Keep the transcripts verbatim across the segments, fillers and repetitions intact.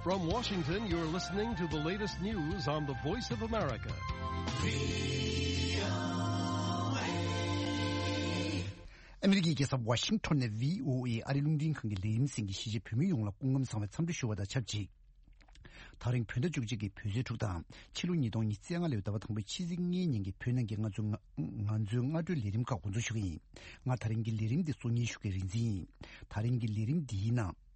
From Washington, you're listening to the latest news on the Voice of America. ཨ་མི་རི་ཀའི་རྒྱལ་ས་ཝ་ཤིང་ཊོན་ནས་བྷི་ཨོ་ཨེ་ཨ་རིའི་རླུང་འཕྲིན་ཁང་གི་ལས་རིམ་གསན་མཁན་གཞིས་བྱེས་བོད་མི་ཡོངས་ལ་སྐུ་ཁམས་བཟང་བའི་འཚམས་འདྲི་ཞུ་བ་དང་ཆབས་ཅིག་ད་རིང་བོད་ཟླ་བཅུ་གཅིག་གི་བོད་ཚེས་དྲུག་དང་ཕྱི་ལོ་ཉིས་སྟོང་ཉི་ཤུ་རྩ་ལྔ་ལོའི་ཟླ་བ་དང་པོའི་ཕྱི་ཚེས་ལྔའི་ཉིན་གྱི་བོད་ནང་གི་ང་ཚོའི་ང་ང་ཚོའི་སྔ་དྲོའི་ལས་རིམ་ཁག་འགོ་འཛུགས་ཞུ་གི་ཡིན། ང་ད་རིང་གི་ལས་རིམ་འདི་གཙོ་གཉེར་ཞུ་མཁན་རིག་འཛིན་ཡིན། ད་རིང་གི་ལས་རིམ་འདིའི་ནང་།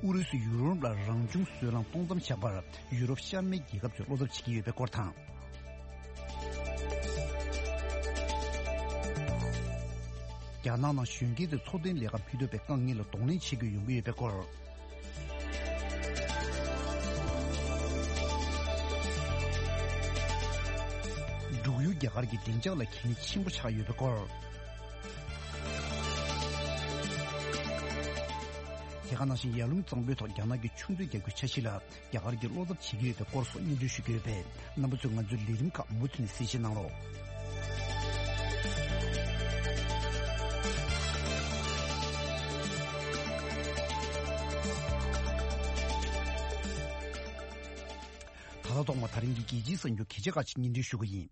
ཨུ་རུ་སུས་ཡུ་རོབ་ལ་རང་བྱུང་སོལ་རླངས་གཏོང་མཚམས་བཞག་པར་ཡུ་རོབ་ཤར་མའི་རྒྱལ་ཁབ་ཚོས་བློ་འཚབ་བྱེད་ཀྱི་ཡོད་པའི་སྐོར་དང་། རྒྱ་ནག་ནང་གཞོན་སྐྱེས་ཚོས་འཚོ་རྟེན་ལས་ཀ་མི་ཐོབ་པའི་དཀའ་ངལ་ལ་གདོང་ལེན་བྱེད་དགོས་ཡོང་གི་ཡོད་པའི་སྐོར། འབྲུག་ཡུལ་རྒྱ་གར་གྱི་བདེ་འཇགས་ལ་གལ་གནད་ཆེན་པོ་ཆགས་ཡོད་པའི་སྐོར། དེ་ག་ནང་བཞིན་ཡར་ཀླུང་གཙང་པོའི་ཐོག་རྒྱ་ནག་གི་ཆུ་མཛོད་རྒྱག་རྒྱུའི་འཆར་གཞི་ལ་རྒྱ་གར་གྱིས་བློ་འཚབ་བྱེད་ཀྱི་ཡོད་པའི་སྐོར་སོགས་སྙན་སྒྲོན་ཞུ་གི་ཡོད་པས། རྣམ་པ་ཚོས་ང་ཚོའི་ལས་རིམ་ཁག་མུ་མཐུད་ནས་གསན་བཞེས་གནང་རོགས། ད་ལྟ་ཐོག་མ་ད་རིང་གི་རྒྱལ་སྤྱིའི་གསར་འགྱུར་གལ་ཆེ་ཁག་ཅིག་སྙན་སྒྲོན་ཞུ་གི་ཡིན།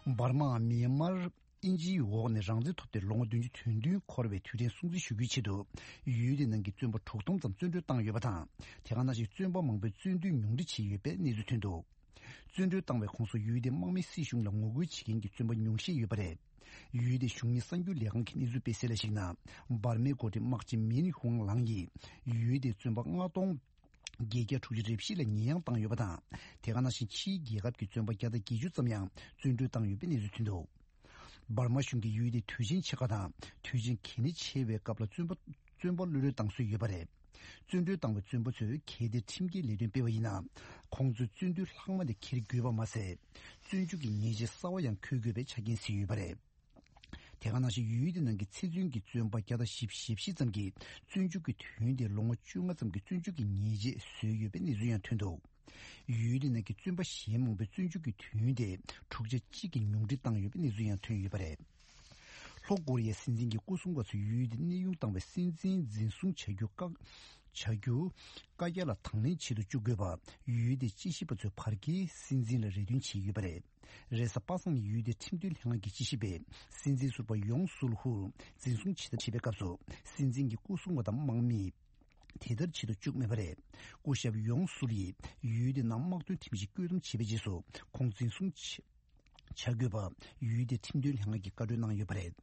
འབར་མ་མིའན་མར་དབྱིན་ཇིའི་འོག་ནས་རང་བཙན་ཐོབ་སྟེ་ལོ་ངོ་བདུན་ཅུ་དོན་བདུན་འཁོར་བའི་དུས་དྲན་སྲུང་བརྩི་ཞུ་རྒྱུའི་ཆེད་དུ། ཡུལ་དེ་ནང་གི་བཙོན་པ་དྲུག་སྟོང་ཙམ་བཙོན་གྲོལ་བཏང་ཡོད་པ་དང་། དེ་ག་ནང་བཞིན་བཙོན་པ་མང་པོས་བཙོན་འདུལ་ཉུང་འཕྲི་བྱས་ཡོད་པའི་གནས་ཚུལ་ཐོན་འདུག་བཙོན་གྲོལ་བཏང་བའི་ཁོངས་སུ་ཡུལ་དེའི་དམག་མི་སྲིད་གཞུང་ལ་ངོ་རྒོལ་བྱེད་མཁན་གྱི་བཙོན་པ་ཉུང་ཤས་ཡོད་པ་རེད། ཡུལ་དེའི་གཞུང་གཉེར་གསར་འགྱུར་ལས་ཁང་གིས་གནས་ཚུལ་སྤེལ་གསལ་ལ་གཞིགས་ན། འབར་མའི་འགོ་ཁྲིད་དམག་སྤྱི་མིན་ཧུང་ལང་ཡིས་ཡུལ་དེའི་བཙོན་པ་ལྔ་སྟོང་བརྒྱད་བརྒྱ་དྲུག་ཅུ་རེ་བཞི་ལ་ཉེས་ཡངས་བཏང་ཡོད་པ་དང་། དེ་ག་ནང་བཞིན་ཕྱིའི་རྒྱལ་ཁབ་ཀྱི་བཙོན་པ་བརྒྱ་དང་བརྒྱད་ཅུ་ཙམ་ཡང་བཙོན་གྲོལ་བཏང་ཡོད་པའི་གནས་ཚུལ་ཐོན་འདུག་འབར་མ་གཞུང་གིས་ཡུལ་དེའི་དུས་ཆེན་ཆེ་ཁག་དང་དུས་ཆེན་གལ་གནད་ཆེ་བའི་སྐབས་ལ་བཙོན་པ་བཙོན་པ་གློད་གྲོལ་བཏང་སྲོལ་ཡོད་པ་རེད། བཙོན་གྲོལ་བཏང་བའི་བཙོན་པ་ཚོས་གལ་ཏེ་ཁྲིམས་འགལ་ལས་དོན་སྤེལ་བ་ཡིན་ན། ཁོང་ཚོས་བཙོན་དུས་ལྷག་མ་དེ་འཁྱེར་དགོས་པ་མ་ཟད། བཙོན་འཇུག་གི་ཉེས་ཆད་གསར་བ་ཡང་འཁོད་དགོས་པའི་ཆ་རྐྱེན་གསལ་ཡོད་པ་རེད། དེ་ག་ནང་བཞིན་ཡུལ་དེ་ནང་གི་ཚེ་བཙོན་གྱི་བཙོན་པ་བརྒྱ་དང་བཞི་བཅུ་ཞེ་བཞི་ཙམ་གྱིས་བཙོན་འཇུག་གི་དུས་ཡུན་དེ་ལོ་ངོ་བཅོ་ལྔ་ཙམ་གྱི་བཙོན་འཇུག་གི་ཉེས་ཆད་བཟོས་ཡོད་པའི་གནས་ཚུལ་ཡང་ཐོན་འདུག་ཡུལ་དེ་ནང་གི་བཙོན་པ་གཞན་མང་པོའི་བཙོན་འཇུག་གི་དུས་ཡུན་དེ་དྲུག་ཆ་གཅིག་གིས་ཉུང་འཕྲི་བཏང་ཡོད་པའི་གནས་ཚུལ་ཡང་ཐོན་ཡོད་པ་རེད། ལྷོ་ཀོ་རི་ཡའི་སྲིད་འཛིན་གྱི་སྐུ་སྲུང་པ་ཚོས་ཡུལ་དེར་གནས་དབྱུང་བཏང་བའི་སྲིད་འཛིན་འཛིན་བཟུང་བྱ་རྒྱུ་བཀག་བྱ་རྒྱུ་བཀའ་རྒྱ་ལ་དང་ལེན་བྱེད་དུ་བཅུག་དགོས་པ་ཡུལ་དེའི་དཔྱད་ཞིབ་པ་ཚོས་བར་བརྒལ་སྲིད་འཛིན་ལ་རེ་འདུན་བྱས་ཡོད་པ་རེད། རེས་གཟའ་པ་སངས་ཉིན་ཡུལ་དེའི་ཁྲིམས་དོན་ལྷན་ཁང་གི་དཔྱད་ཞིབ་པས་སྲིད་འཛིན་ཟུར་པ་ཡོང་སུལ་ཧུར་འཛིན་བཟུང་བྱེད་ཐབས་བྱེད་པའི་སྐབས་སུ་སྲིད་འཛིན་གྱི་སྐུ་སྲུང་བ་དང་དམག་མིས་དེ་ལྟར་བྱེད་དུ་བཅུག་མེད་པ་རེད། སྐུ་ཞབས་ཡོང་སུལ་ཡིས་ཡུལ་དེ་ནང་དམག་དོན་ཁྲིམས་གཞི་བཀོད་འདོམས་བྱས་པའི་རྗེས་སུ་ཁོང་འཛིན་བཟུང་བྱས། བྱ་དགོས་པ་ཡུལ་དེའི་ཁྲིམས་དོན་ལྷན་ཁང་གིས་བཀའ་འཁྲོལ་གནང་ཡོད་པ་རེད།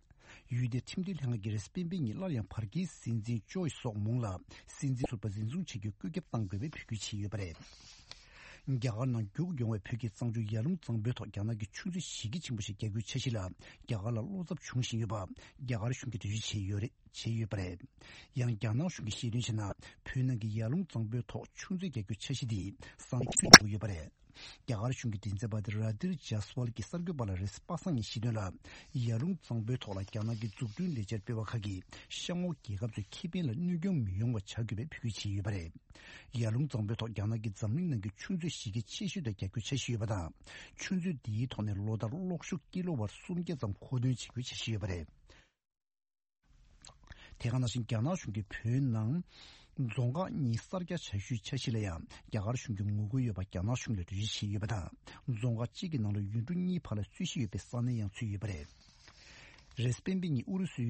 ཡུལ་དེའི་ཁྲིམས་དོན་ལྷན་ཁང་གིས་རེས་གཟའ་སྤེན་པའི་ཉིན་སླར་ཡང་བར་བརྒལ་སྲིད་འཛིན་ཅོ་ཡི་སོག་མུང་ལ་སྲིད་འཛིན་ཟུར་པ་འཛིན་བཟུང་བྱ་རྒྱུའི་བཀོད་ཁྱབ་གཏང་དགོས་པའི་འབོད་སྐུལ་བྱས་ཡོད་པ་རེད། རྒྱ་གར་ནང་རྒྱུག་ཡོང་བའི་བོད་ཀྱི་གཙང་ཆུ་ཡར་ཀླུང་གཙང་པོའི་ཐོག་རྒྱ་ནག་གི་ཆུ་མཛོད་གཞི་རྒྱ་ཆེན་པོ་ཞིག་རྒྱག་རྒྱུའི་འཆར་གཞི་ལ་རྒྱ་གར་ལ་བློ་འཚབ་བྱུང་བཞིན་ཡོད་པ་རྒྱ་གར་གཞུང་གིས་འགྲེལ་བརྗོད་བྱས་ཡོད་རེད། བྱས་ཡོད་པ་རེད། ཡང་རྒྱ་ནག་གཞུང་གིས་བཤད་དོན་བྱས་ན་བོད་ནང་གི་ཡར་ཀླུང་གཙང་པོའི་ཐོག་ཆུ་མཛོད་རྒྱག་རྒྱུའི་འཆར་གཞི་འདིས་ས་གནས་ཁྱོན་ཡོད་པ་རེད། རྒྱ་གར་གཞུང་གི་མགྲིན་ཚབ་པ་ར་དིར་ཇཱ་སི་ཝལ་གྱིས་གསར་འགོད་པ་ལ་རེས་གཟའ་པ་སངས་ཉིན་བཤད་དོན་ལ། ཡར་ཀླུང་གཙང་པོའི་ཐོག་ལ་རྒྱ་ནག་གི་འཛུགས་སྐྲུན་ལས་འཆར་སྤེལ་བ་ཁག་གིས་གཤམ་འོག་རྒྱལ་ཁབ་ཚོའི་ཁེ་ཕན་ལ་གནོད་སྐྱོན་མི་ཡོང་བ་བྱ་དགོས་པའི་འབོད་སྐུལ་བྱས་ཡོད་པ་རེད། ཡར་ཀླུང་གཙང་པོའི་ཐོག་རྒྱ་ནག་གིས་འཛམ་གླིང་ནང་གི་ཆུ་མཛོད་གཞི་རྒྱ་ཆེ་ཤོས་དེ་རྒྱག་རྒྱུའི་འཆར་གཞི་ཡོད་པ་དང་། ཆུ་མཛོད་འདིའི་ཐོག་ནས་ལོ་ལྟར་གློག་ཤུགས་ཀི་ལོ་ཝཊ་སུམ་བརྒྱ་ཙམ་མཁོ་འདོན་བྱེད་རྒྱུའི་འཆར་གཞི་ཡོད་པ་རེད། དེ་ག་ནང་བཞིན་རྒྱ་ནག་གཞུང་གིས་བོད་ནང་རྫོང་ཁག་གཉིས་གསར་རྒྱག་བྱ་རྒྱུའི་འཆར་གཞི་ལ་ཡང་རྒྱ་གར་གཞུང་གི་ངོ་རྒོལ་ཡོད་པ་རྒྱ་ནག་གཞུང་ལ་འགྲེལ་བརྗོད་བྱས་ཡོད་པ་དང་། རྫོང་ཁག་གཅིག་གི་ནང་ལ་ཡུལ་གྲུ་གཉིས་བར་ལ་རྩོད་གཞི་ཡོད་པའི་ས་གནས་ཡང་ཚུད་ཡོད་པ་རེད། རེས་གཟའ་སྤེན་པའི་ཉིན་ཨུ་རུ་སུས་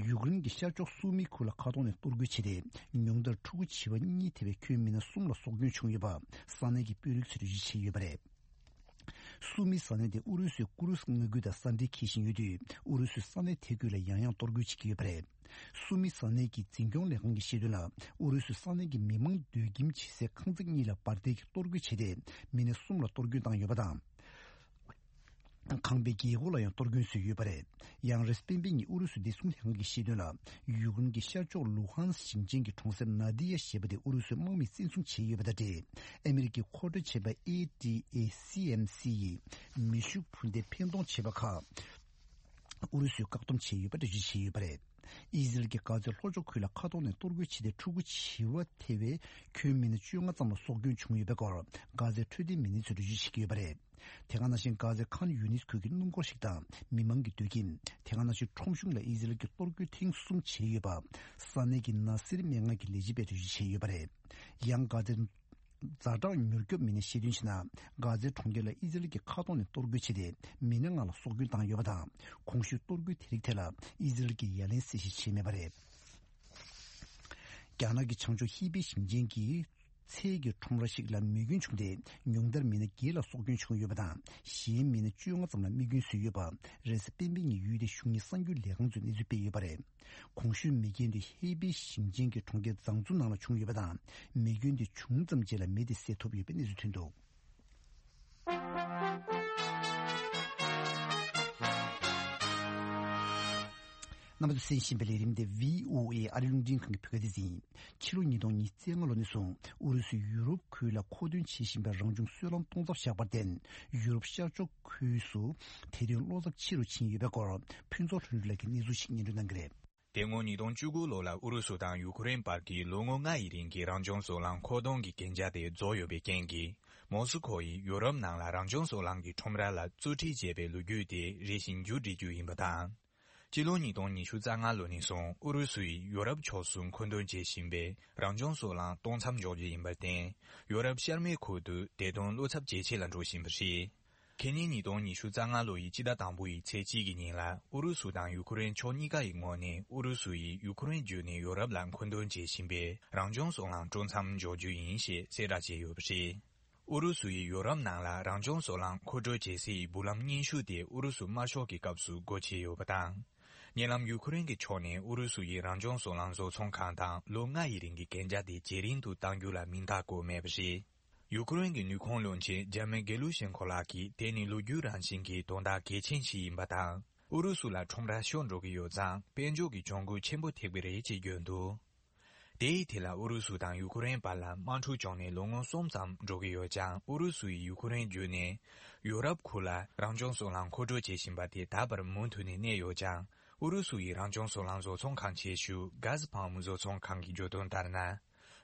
ཡུཀ་རེན་གྱི་ཤར་ཕྱོགས་སུ་མི་ཁུལ་ལ་མཁའ་ཐོག་ནས་གཏོར་རྒོལ་བྱས་ཏེ། ཉུང་མཐར་ཕྲུ་གུ་བྱིས་པ་གཉིས་ཐེ་བའི་ཁྱོན་མི་སྣ་གསུམ་ལ་སྲོག་སྐྱོན་བྱུང་ཡོད་པ་ས་གནས་ཀྱི་དཔོན་རིགས་ཚོས་འགྲེལ་བརྗོད་བྱས་ཡོད་པ་རེད། སུ་མི་ས་གནས་དེ་ཨུ་རུ་སུའི་ཀུ་རུ་སི་མངའ་ཁུལ་དང་ས་འབྲེལ་འཁེལ་བཞིན་ཡོད་དུས། ཨུ་རུ་སུས་ས་གནས་དེ་ཁུལ་ལ་ཡང་ཡང་གཏོར་རྒོལ་བྱེད་ཀྱི་ཡོད་པ་རེད། སུ་མི་ས་གནས་ཀྱི་འཛིན་སྐྱོང་ལས་ཁང་གིས་བཤད་དོན་ལ། ཨུ་རུ་སུས་ས་གནས་ཀྱི་མི་མང་སྡོད་ཁྱིམ་བྱེ་སའི་ཁང་བརྩེགས་གཉིས་ལ་འབར་མདེལ་གྱིས་གཏོར་རྒོལ་བྱས་ཏེ། མི་སྣ་གསུམ་ལ་གཏོར་སྐྱོན་བཏང་ཡོད་པ་དང་། ཁང་པའི་རྒྱལ་སྒོ་ལ་ཡང་གཏོར་སྐྱོན་བཟོས་ཡོད་པ་རེད། ཡང་རེས་གཟའ་སྤེན་པའི་ཉིན་ཨུ་རུ་སུའི་བདེ་སྲུང་ལྷན་ཁང་གིས་བཤད་དོན་ལ། ཡུཀ་རེན་གྱི་ཤར་ཕྱོགས་ལུ་ཧན་སི་ཞིང་ཆེན་གྱི་གྲོང་གསེབ་ནཱ་དི་ཡ་ཞེས་པ་དེ་ཨུ་རུ་སུས་དམག་མིས་བཙན་བཟུང་བྱས་ཡོད་པ་དང་འབྲེལ། ཨ་མི་རི་ཀས་མཁོ་སྤྲོད་བྱས་པ་ཨེ་ཏི་ཨེ་སི་ཨེམ་སི་ཡིས་མེ་ཤུགས་འཕུར་མདེལ་འཕེན་གཏོང་བྱས་པ་ཁག་ཨུ་རུ་སུས་བཀག་སྡོམ་བྱས་ཡོད་པ་འགྲེལ་བརྗོད་བྱས་ཡོད་པ་རེད། ཨི་ཟི་རལ་གྱིས་གྷ་ཛའི་ལྷོ་ཕྱོགས་ཁུལ་ལ་མཁའ་ཐོག་ནས་གཏོར་རྒོལ་བྱས་ཏེ་ཕྲུ་གུ་བྱིས་པ་ཐེ་བའི་ཁྱོན་མི་སྣ་བཅོ་ལྔ་ཙམ་ལ་སྲོག་སྐྱོན་བྱུང་ཡོད་པའི་སྐོར་གྷ་ཛའི་འཕྲོད་བསྟེན་མི་སྣ་ཚོས་འགྲེལ་བརྗོད་བྱེད་ཀྱི་ཡོད་པ་རེད། དེ་ག་ནང་བཞིན་གྷ་ཛའི་ཁཱན་ཡུ་ནིས་ཁུལ་གྱི་སྣུམ་འཁོར་ཞིག་དང་མི་མང་གི་སྡོད་ཁྱིམ། དེ་ག་ནང་བཞིན་ཁྲོམ་གཞུང་ལ་ཨི་ཟི་རལ་གྱིས་གཏོར་རྒོལ་ཐེངས་གསུམ་བྱས་ཡོད་པ། ས་གནས་ཀྱི་ན་སིར་སྨན་ཁང་གི་ལས་བྱེད་པས་འགྲེལ་བརྗོད་བྱས་ཡོད་པ་རེད། ཡང་གྷ་ཛའི་ཛ་དྲག་མྱུར་སྐྱོབ་མི་སྣས་བཤད་དོན་བྱས་ན། གྷ་ཛའི་གྲོང་ཁྱེར་ལ་ཨི་ཟི་རལ་གྱི་མཁའ་ཐོག་ནས་གཏོར་རྒོལ་བྱས་ཏེ་མི་སྣ་ལྔ་ལ་སྲོག་སྐྱོན་བཏང་ཡོད་པ་དང་། གོང་ཞུས་གཏོར་རྒོལ་དེ་རིགས་ཐད་ལ་ཨི་ཟི་རལ་གྱིས་ཡ་ལན་གསལ་བཤད་བྱས་མེད་པ་རེད། རྒྱ་ནག་གི་བྱང་ཕྱོགས་ཧི་པེ་ཞིང་ཆེན་གྱི་ཚལ་གྱི་ཁྲོམ་ར་ཞིག་ལ་མེ་སྐྱོན་བྱུང་སྟེ། ཉུང་མཐར་མི་སྣ་བརྒྱད་ལ་སྲོག་སྐྱོན་བྱུང་ཡོད་པ་དང་། གཞན་མི་སྣ་བཅོ་ལྔ་ཙམ་ལ་རྨས་སྐྱོན་བཟོས་ཡོད་པ། རེས་གཟའ་སྤེན་པའི་ཉིན་ཡུལ་དེའི་གཞུང་གཉེར་གསར་འགྱུར་ལས་ཁང་ཚོས་གནས་ཚུལ་སྤེལ་ཡོད་པ་རེད། གོང་ཞུས་མེ་སྐྱོན་དེ་ཧེ་པེ་ཞིང་ཆེན་གྱི་གྲོང་ཁྱེར་ཛང་ཙུ་ནང་ལ་བྱུང་ཡོད་པ་དང་། མེ་སྐྱོན་དེ་བྱུང་ཙམ་རྗེས་ལ་མེ་དེ་བསད་ཐུབ་ཡོད་པའི་གནས་ཚུལ་ཐོན་འདུག་རྣམ་པ་ཚོས་གསན་བཞིན་པའི་ལས་རིམ་དེ་བྷི་ཨོ་ཨེ་ཨ་རི་རླུང་འཕྲིན་ཁང་གི་བོད་སྐད་སྡེ་ཚན་ཡིན། ཕྱི་ལོ་ཉིས་སྟོང་ཉི་ཤུ་རྩ་ལྔ་ལོ་ནས་བཟུང་ཨུ་རུ་སུས་ཡུ་རོབ་ཁུལ་ལ་མཁོ་འདོན་བྱེད་བཞིན་པའི་རང་བྱུང་སོལ་རླངས་གཏོང་ཚབ་བཞག་པར་བརྟེན། ཡུ་རོབ་ཤར་ཕྱོགས་ཁུལ་སུ་དེ་དོན་བློ་འཚབ་ཆེ་རུ་ཕྱིན་ཡོད་པའི་སྐོར་ཕུན་ཚོགས་ལྷུན་གྲུབ་ལགས་ཀྱིས་གནས་ཚུལ་ཞིག་སྙན་སྒྲོན་གནང་གི་རེད། དེ་སྔོན་ཉིས་སྟོང་བཅུ་དགུ་ལོ་ལ་ཨུ་རུ་སུ་དང་ཡུ་ཁུ་རེན་བར་གྱི་ལོ་ངོ་ལྔ་ཡི་རིང་གི་རང་བྱུང་སོལ་རླངས་མཁོ་གཏོང་གི་གན་རྒྱ་དེ་རྫོགས་ཡོད་པའི་རྐྱེན་གྱིས། མོ་སི་ཁོ་ཡིས་ཡུ་རོབ་ནང་ལ་རང་བྱུང་སོལ་རླངས་ཀྱི་ཁྲོམ་ར་ལ་བཙུགས་ཁྲིད་བྱས་པའི་ལོ་རྒྱུས་དེ་རེ་བཞིན་མཇུག་སྒྲིལ་རྒྱུ་ཡིན་པ་དང་། སྤྱི་ལོ་ཉིས་སྟོང་ཉི་ཤུ་རྩ་ལྔ་ལོ་ནས་བཟུང་ཨུ་རུ་སུ་ཡིས་ཡུ་རོབ་ཕྱོགས་སུ་མཁོ་འདོན་བྱེད་བཞིན་པའི་རང་བྱུང་སོལ་རླངས་གཏོང་མཚམས་འཇོག་རྒྱུ་ཡིན་པར་བརྟེན། ཡུ་རོབ་ཤར་མའི་ཁུལ་དུ་དེ་དོན་བློ་འཚབ་ཇེ་ཆེ་ལ་འགྲོ་བཞིན་པ་རེད། ཁེ་ཉིན་ཉིས་སྟོང་ཉི་ཤུ་རྩ་ལྔ་ལོ་ཡི་སྤྱི་ཟླ་དང་པོ་ཡི་ཚེས་གཅིག་གི་ཉིན་ལ་ཨུ་རུ་སུ་དང་ཡུ་ཁུ་རེན་ཕྱོགས་གཉིས་ཀ་ཡི་ངོས་ནས་ཨུ་རུ་སུ་ཡིས་ཡུ་ཁུ་རེན་བརྒྱུད་ནས་ཡུ་རོབ་ལ་མཁོ་འདོན་བྱེད་བཞིན་པའི་རང་བྱུང་སོལ་རླངས་སྤྲོད་མཚམས་འཇོག་རྒྱུ་ཡིན་ཞེས་གསལ་བསྒྲགས་བྱས་ཡོད་པ་རེད། ཨུ་རུ་སུ་ཡིས་ཡུ་རོབ་ནང་ལ་རང་བྱུང་སོལ་རླངས་མཁོ་སྤྲོད་བྱེད་སའི་འབུམ་ལམ་རྙིང་ཤོས་དེ་ཨུ་རུ་སུ་དམར་ཤོག་གི་སྐབས་སུ་སྒོ་ཕྱེ་ཡོད་པ་དང་། ཉེ་ལམ་ཡུ་ཁུ་རེན་གྱི་ཕྱོགས་ནས་ཨུ་རུ་སུ་ཡི་རང་བྱུང་སོལ་རླངས་བཟོ་ཚོང་ཁང་དང་ལོ་ལྔ་ཡི་རིང་གི་གན་རྒྱ་དེ་ཇེ་རིང་དུ་གཏང་རྒྱུ་ལ་མིང་རྟགས་བཀོད་མེད་པ་རེད། ཡུ་ཁུ་རེན་གྱི་ནུས་ཁུངས་བློན་ཆེན་ཇ་མེ་གེ་ལུ་ཤན་ཁོ་ལགས་ཀྱིས་དེ་ནི་ལོ་རྒྱུས་རང་བཞིན་གྱི་དོན་དག་གལ་ཆེན་ཞིག་ཡིན་པ་དང་། ཨུ་རུ་སུ་ལ་ཁྲོམ་ར་ཤོར་འགྲོ་གི་ཡོད་ཙང་དཔལ་འབྱོར་གྱི་གྱོང་གུད་ཆེན་པོ་ཐེབས་ཀྱི་རེད་ཅེས་བརྗོད་འདུག་དེ་ཡི་ཐད་ལ་ཨུ་རུ་སུ་དང་ཡུ་ཁུ་རེན་བར་ལ་དམག་འཁྲུག་བྱུང་ནས་ལོ་ངོ་གསུམ་ཙམ་འགྲོ་གི་ཡོད་ཀྱང་། ཨུ་རུ་སུ་ཡིས་ཡུ་ཁུ་རེན་བརྒྱུད་ནས་ཡུ་རོབ་ཁུལ་ལ་རང་བྱུང་སོལ་རླངས་མཁོ་སྤྲོད་བྱེད་བཞིན་པ་དེ་ད་བར་མུ་མཐུད་ནས་གནས་ཡོད་ཀྱང་། ཨུ་རུ་སུ་ཡི་རང་བྱུང་སོལ་རླངས་བཟོ་ཚོང་ཁང་ཆེ་ཤོས་གྷ་ཟི་ཕམ་བཟོ་ཚོང་ཁང་གིས་བརྗོད་དོན་ལྟར་ན།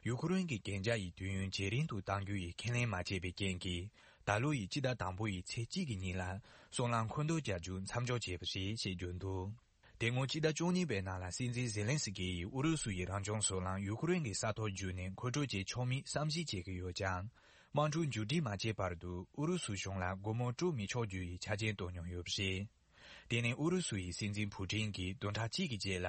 ཡུ་ཁུ་རེན་གྱི་གན་རྒྱ་ཡི་དུས་ཡུན་ཇེ་རིང་དུ་གཏང་རྒྱུ་ཡི་ཁས་ལེན་མ་བྱས་པའི་རྐྱེན་གྱིས། ད་ལོ་ཡི་སྤྱི་ཟླ་དང་པོ་ཡི་ཚེས་གཅིག་གི་ཉིན་ལ་སོལ་རླངས་མཁོ་འདོན་བྱ་རྒྱུ་མཚམས་འཇོག་བྱས་པ་རེད་ཅེས་བརྗོད་འདུག་དེ་སྔོན་སྤྱི་ཟླ་བཅུ་གཉིས་པའི་ནང་ལ་སྲིད་འཛིན་ཛེ་ལན་སི་ཀི་ཡིས་ཨུ་རུ་སུ་ཡི་རང་བྱུང་སོལ་རླངས་ཡུ་ཁུ་རེན་གྱི་ས་ཐོག་བརྒྱུད་ནས་མཁོ་སྤྲོད་བྱེད་ཆོག་མིན་བསམ་གཞིག་བྱེད་ཀྱི་ཡོད་ཀྱང་། དམག་འཁྲུག་མཇུག་སྒྲིལ་མ་བྱས་བར་དུ་ཨུ་རུ་སུ་གཞུང་ལ་སྒོ་མོ་དཀྲུག་མི་ཆོག་རྒྱུ་ཡི་ཆ་རྐྱེན་བཏོན་མྱོང་ཡོད་པ་རེད། དེ་ནི་ཨུ་རུ་སུ་ཡི་སྲིད་འཛིན་ཕུ་ཀྲིན་གྱིས་བདུན་ཕྲག་གཅིག་གི་རྗེས་ལ་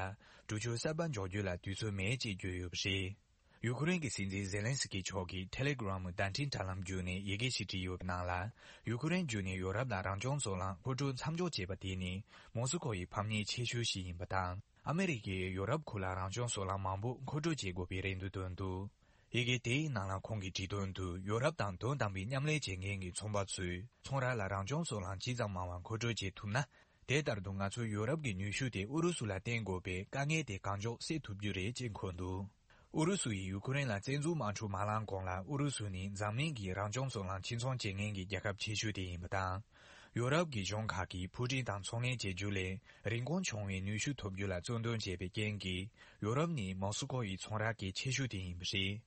གྲོས་ཆོད་གསར་པ་འཇོག་རྒྱུ་ལ་དུས་ཚོད་མེད་ཅེས་བརྗོད་ཡོད་པ་རེད། ཡུ་ཁུ་རེན་གྱི་སྲིད་འཛིན་ཛེ་ལན་སི་ཀི་མཆོག་གིས་ཊེ་ལེ་གྷི་རམ་བརྡ་འཕྲིན་དྲ་ལམ་བརྒྱུད་ནས་ཡི་གེ་ཞིག་བྲིས་ཡོད་པའི་ནང་ལ། ཡུ་ཁུ་རེན་བརྒྱུད་ནས་ཡོ་རོབ་ལ་རང་བྱུང་སོལ་རླངས་མཁོ་སྤྲོད་མཚམས་འཇོག་བྱས་པ་དེ་ནི་མོ་སི་ཁོ་ཡི་ཕམ་ཉེས་ཆེ་ཤོས་ཤིག་ཡིན་པ་དང་། ཨ་མེ་རི་ཀས་ཡོ་རོབ་ཁུལ་ལ་རང་བྱུང་སོལ་རླངས་མང་པོ་མཁོ་སྤྲོད་བྱེད་དགོས་པའི་རེ་འདུན་བཏོན་འདུག་ཡི་གེ་དེའི་ནང་ལ་ཁོང་གིས་བྲིས་དོན་དུ། ཡོ་རོབ་དང་དོན་དམ་པའི་མཉམ་ལས་བྱེད་མཁན་གྱི་ཚོང་པ་ཚོས་ཚོང་ར་ལ་རང་བྱུང་སོལ་རླངས་ཇི་ཙམ་མང་བ་མཁོ་སྤྲོད་བྱེད་ཐུབ་ན། དེ་ལྟར་དུ་ང་ཚོས་ཡོ་རོབ་ཀྱི་ནུས་ཤུགས་དེ་ཨུ་རུ་སུ་ལ་བརྟེན་དགོས་པའི་དཀའ་ངལ་དེ་གང་མགྱོགས་སེལ་ཐུབ་རྒྱུ་རེད་ཅེས་འཁོད་འདུག་ཨུ་རུ་སུ་ཡིས་ཡུ་ཁུ་རེན་ལ་བཙན་འཛུལ་དམག་འཁྲུག་མ་ལངས་གོང་ལ། ཨུ་རུ་སུ་ནི་འཛམ་གླིང་གི་རང་བྱུང་སོལ་རླངས་ཕྱིར་ཚོང་བྱེད་མཁན་གྱི་རྒྱལ་ཁབ་ཆེ་ཤོས་དེ་ཡིན་པ་དང་། ཡོ་རོབ་ཀྱི་གཞུང་ཁག་གིས་ཕུ་ཀྲིན་དང་ཚོང་ལས་བྱེད་རྒྱུ་ལས་རིན་གོང་ཆུང་བའི་ནུས་ཤུགས་ཐོབ་རྒྱུ་ལ་བཙན་གདོང་བྱས་པའི་རྐྱེན་གྱིས། ཡོ་རོབ་ནི་མོ་སི་ཁོ་ཡི་ཚོང་ར་གལ་ཆེ་ཤོས་དེ་ཡིན་པ་རེད།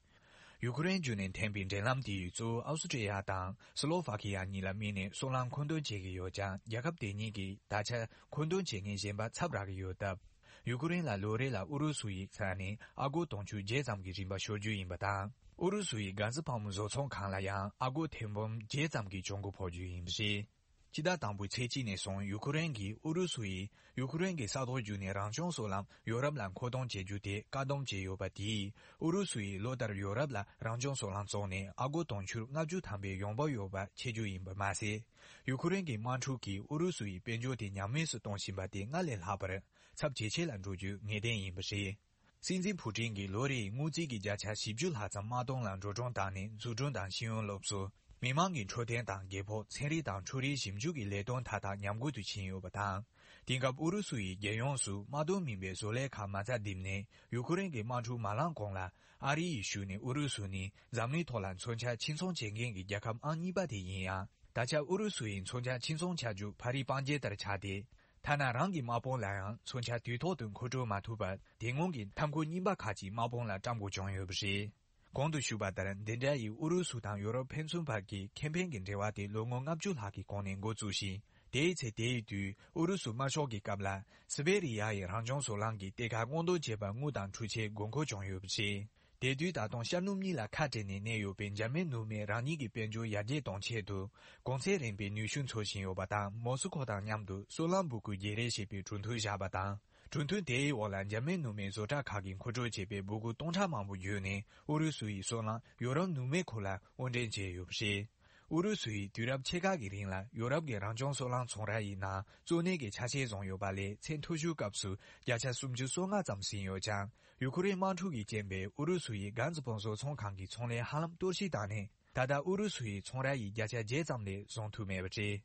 ཡུ་ཁུ་རེན་བརྒྱུད་ནས་འཐེན་པའི་འབྲེལ་ལམ་དེ་ཡིས་གཙོ་བོ་ཨའུ་སི་ཀྲི་ཡ་དང་སི་ལོ་ཝ་ཁི་ཡ་གཉིས་ལ་དམིགས་ནས་སོལ་རླངས་མཁོ་འདོན་བྱེད་ཀྱི་ཡོད་ཀྱང་། རྒྱལ་ཁབ་དེ་གཉིས་ཀྱིས་ད་ཆ་མཁོ་འདོན་བྱེད་མཁན་གཞན་པ་ཚབ་རག་གི་ཡོད་སྟབས། ཡུ་ཁུ་རེན་ལ་ལོ་རེ་ལ་ཨུ་རུ་སུ་ཡི་ས་ནས་ཨ་སྒོར་དུང་ཕྱུར་བརྒྱད་ཙམ་གྱི་རིན་པ་ཤོར་རྒྱུ་ཡིན་པ་དང་། ཨུ་རུ་སུ་ཡི་གྷ་ཟི་ཕམ་བཟོ་ཚོང་ཁང་ལ་ཡང་ཨ་སྒོར་ཐེར་འབུམ་བརྒྱད་ཙམ་གྱི་གྱོང་གུན་ཕོག་རྒྱུ་ཡིན་པ་རེད། སྤྱི་ཟླ་དང་པོའི་ཚེས་གཅིག་ནས་བཟུང་ཡུ་ཁུ་རེན་གྱིས་ཨུ་རུ་སུ་ཡིས་ཡུ་ཁུ་རེན་གྱི་ས་ཐོག་བརྒྱུད་ནས་རང་བྱུང་སོལ་རླངས་ཡོ་རོབ་ལ་མཁོ་གཏོང་བྱེད་རྒྱུ་དེ་བཀག་སྡོམ་བྱས་ཡོད་པ་དེས། ཨུ་རུ་སུ་ཡིས་ལོ་ལྟར་ཡོ་རོབ་ལ་རང་བྱུང་སོལ་རླངས་བཙོངས་ནས་ཨ་སྒོར་དུང་ཕྱུར་ལྔ་བཅུ་ཐམ་པའི་ཡོང་འབབ་ཡོད་པ་ཆེ་རྒྱུ་ཡིན་པ་མ་ཟད། ཡུ་ཁུ་རེན་གྱི་དམག་འཁྲུག་གིས་ཨུ་རུ་སུ་ཡི་དཔལ་འབྱོར་དེ་ཉམས་དམས་སུ་གཏོང་བཞིན་པ་དེ་སྔར་ལས་ལྷག་པར་ཚབས་ཇེ་ཆེ་ལ་འགྲོ་རྒྱུ་ངེས་གཏན་ཡིན་པ་རེད། སྲིད་འཛིན་ཕུ་ཀྲིན་གྱིས་ལོ་རེའི་དངུལ་རྩིས་ཀྱི་བརྒྱ་ཆ་བཞི་བཅུ་ལྷག་ཙམ་དམག་དོན་ལ་འགྲོ་གྲོན་བཏང་ནས་འཛུགས་སྐྲུན་དང་ཤེས་ཡོན་སློབ་གསོ། མི་མང་གི་འཕྲོད་བསྟེན་དང་རྒས་འཁོགས། ཚན་རིག་དང་འཕྲུལ་རིག་ཞིབ་འཇུག་གི་ལས་དོན་མཐའ་དག་ཉམས་རྒུད་དུ་ཕྱིན་ཡོད་པ་དང་། དེང་སྐབས་ཨུ་རུ་སུ་ཡིས་རྒྱལ་ཡོངས་སུ་དམག་དོན་མིན་པའི་བཟོ་ལས་ཁག་མ་རྩ་བརྡིབས་ནས། ཡུ་ཁུ་རེན་གྱི་དམག་འཁྲུག་མ་ལངས་གོང་ལ། ཨ་རི་ཡི་ཤུལ་ནས་ཨུ་རུ་སུ་ནི་འཛམ་གླིང་ཐོག་ལ་མཚོན་ཆ་ཕྱིར་ཚོང་བྱེད་མཁན་གྱི་རྒྱལ་ཁབ་ཨང་གཉིས་པ་དེ་ཡིན་ཡང་། ད་ཆ་ཨུ་རུ་སུ་ཡི་མཚོན་ཆ་ཕྱིར་ཚོང་བྱ་རྒྱུ་ཕ་རིའི་སྤང་རྒྱན་ལྟར་ཆགས་ཏེ། ཐ་ན་རང་གི་དམག་དཔུང་ལ་ཡང་མཚོན་ཆ་དུས་ཐོག་ཏུ་མཁོ་སྤྲོད་མ་ཐུབ་པར། དེ་སྔོན་གྱི་མཐའ་འཁོར་རྙིང་པ་ཁག་ཅིག་དམག་དཔུང་ལ་བཀྲམ་དགོས་བྱུང་ཡོད་པ་རེད། གོང་དུ་ཞུས་པ་ལྟར། འདི་འདྲ་ཡི་ཨུ་རུ་སུ་དང་ཡོ་རོབ་ཕན་ཚུན་བར་གྱི་ཁེ་ཕན་གྱི་འབྲེལ་བ་དེ་ལོ་ངོ་ལྔ་བཅུ་ལྷག་གི་གོང་ནས་འགོ་བཙུགས་ཤིང་། དེའི་ཚེ་དེའི་དུས་ཨུ་རུ་སུ་དམར་ཤོག་གི་སྐབས་ལ། སི་བེ་རི་ཡ་ཡི་རང་བྱུང་སོལ་རླངས་ཀྱི་གཏེར་ཁ་སྔོག་འདོན་བྱས་པར་དངུལ་དང་འཕྲུལ་ཆས་དགོས་མཁོ་བྱུང་ཡོད་པ་རེད། དེ་དུས་ད་དུང་ཤར་ནུབ་གཉིས་ལ་ཁ་བྲལ་ནས་གནས་ཡོད་པའི་འཇར་མན་ནུབ་མས་རང་ཉིད་ཀྱི་དཔལ་འབྱོར་ཡར་རྒྱས་གཏོང་ཆེད་དུ། གོང་ཚད་རན་པའི་ནུས་ཤུགས་འཚོལ་བཞིན་ཡོད་པ་དང་། མོ་སི་ཁོ་དང་མཉམ་དུ་སོལ་རླངས་འབོད་སྐུལ་བརྗེ་རེས་བྱེད་པའི་གྲོས་མཐུན་བཞག་པ་དང་། གྲོས་མཐུན་དེའི་འོག་ལ་འཇར་མན་ནུབ་མའི་བཟོ་གྲྭ་ཁག་གིས་མཁོ་སྤྲོད་བྱས་པའི་འབོད་སྐུལ་སྟོང་ཕྲག་མང་པོ་བརྒྱུད་ནས་ཨུ་རུ་སུ་ཡི་སོལ་རླངས་ཡོ་རོབ་ནུབ་མའི་ཁུལ་ལ་དབོར་འདྲེན་བྱས་ཡོད་པ་རེད། ཨུ་རུ་སུ་ཡིས་དུས་རབས་ཕྱེད་ཀ་གི་རིང་ལ་ཡོ་རོབ་ཀྱི་རང་བྱུང་སོལ་རླངས་ཚོང་ར་ཡི་ནང་གཙོ་གནད་ཀྱི་ཆ་ཤས་བཟུང་ཡོད་པ་ལས། མཚན་ཐོ་བཞུའི་སྐབས་སུ་བརྒྱ་ཆ་སུམ་ཅུ་སོ་ལྔ་ཙམ་ཟིན་ཡོད་ཀྱང་། ཡུ་ཁུ་རེན་དམག་འཁྲུག་གིས་རྐྱེན་པས་ཨུ་རུ་སུ་ཡི་གྷན་ཛི་བང་སོ་ཚོང་ཁང་གི་ཚོང་ལས་ཧ་ལམ་གཏོར་བཤིག་བཏང་ནས། ད་ལྟ་ཨུ་རུ་སུ་ཡི་ཚོང་ར་ཡི་བརྒྱ་ཆ་བརྒྱད་ཙམ་ལས་བཟུང་ཐུབ་མེད་པ་རེད།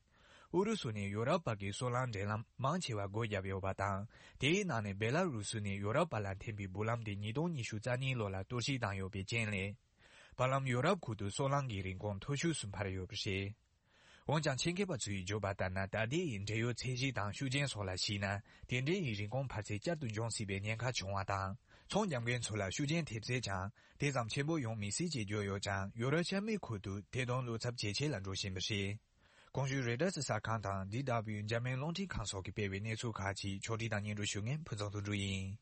ཨུ་རུ་སུ་ནས་ཡོ་རོབ་བར་གྱི་སོལ་རླངས་འདྲེན་ལམ་མང་ཆེ་བ་སྒོ་བརྒྱབ་ཡོད་པ་དང་། དེའི་ནང་ནས་བེ་ལ་རུ་སུ་ནས་ཡོ་རོབ་བར་ལ་འཐེན་པའི་འབུད་ལམ་དེ་ཉིས་སྟོང་ཉི་ཤུ་རྩ་གཉིས་ལོ་ལ་གཏོར་བཤིག་བཏང་ཡོད་པའི་རྐྱེན་ལས། བར་ལམ་ཡོ་རོབ་ཁུལ་དུ་སོལ་རླངས་ཀྱི་རིན་གོང་མཐོ་ཤོས་སུ་འཕར་ཡོད་པ་རེད། འོན་ཀྱང་། ཆེད་མཁས་པ་ཚོས་བརྗོད་པ་ལྟར་ན། ད་ལྟའི་འབྲེལ་ཡོད་ཚད་གཞི་དང་ཤུགས་རྐྱེན་སོགས་ལ་གཞིགས་ན། དེ་འབྲེལ་ཡི་རིན་གོང་འཕར་ཚད་བསྐྱར་དུ་འབྱུང་སྲིད་པའི་ཉེན་ཁ་བྱུང་བ་དང་། ཚོང་རྒྱག་མཁན་ཚོ་ལ་ཤུགས་རྐྱེན་ཐེབས་སྲིད་ཀྱང་། དེ་ཙམ་ཆེན་པོ་ཡོང་མི་སྲིད་ཅེས་བརྗོད་ཡོད་ཀྱང་། ཡོ་རོབ་ཤར་མའི་ཁུལ་དུ་ཐད་གཏོང་བློ་འཚབ་ཇེ་ཆེ་ལ་འགྲོ་བཞིན་པ་རེད། གོང་ཞུས་རོའི་ཊར་གསར་ཁང་དང་། ཌི་ཌབ་ལིའུ་འཇར་མན་རླུང་འཕྲིན་ཁང་སོགས་ཀྱིས་སྤེལ་བའི་གནས་ཚུལ་ཁག་ཅིག་ཕྱོགས་སྒྲིག་དང་སྙན་སྒྲོན་ཞུ་མཁན་ཕུན་ཚོགས་དོན་གྲུབ་ཡིན།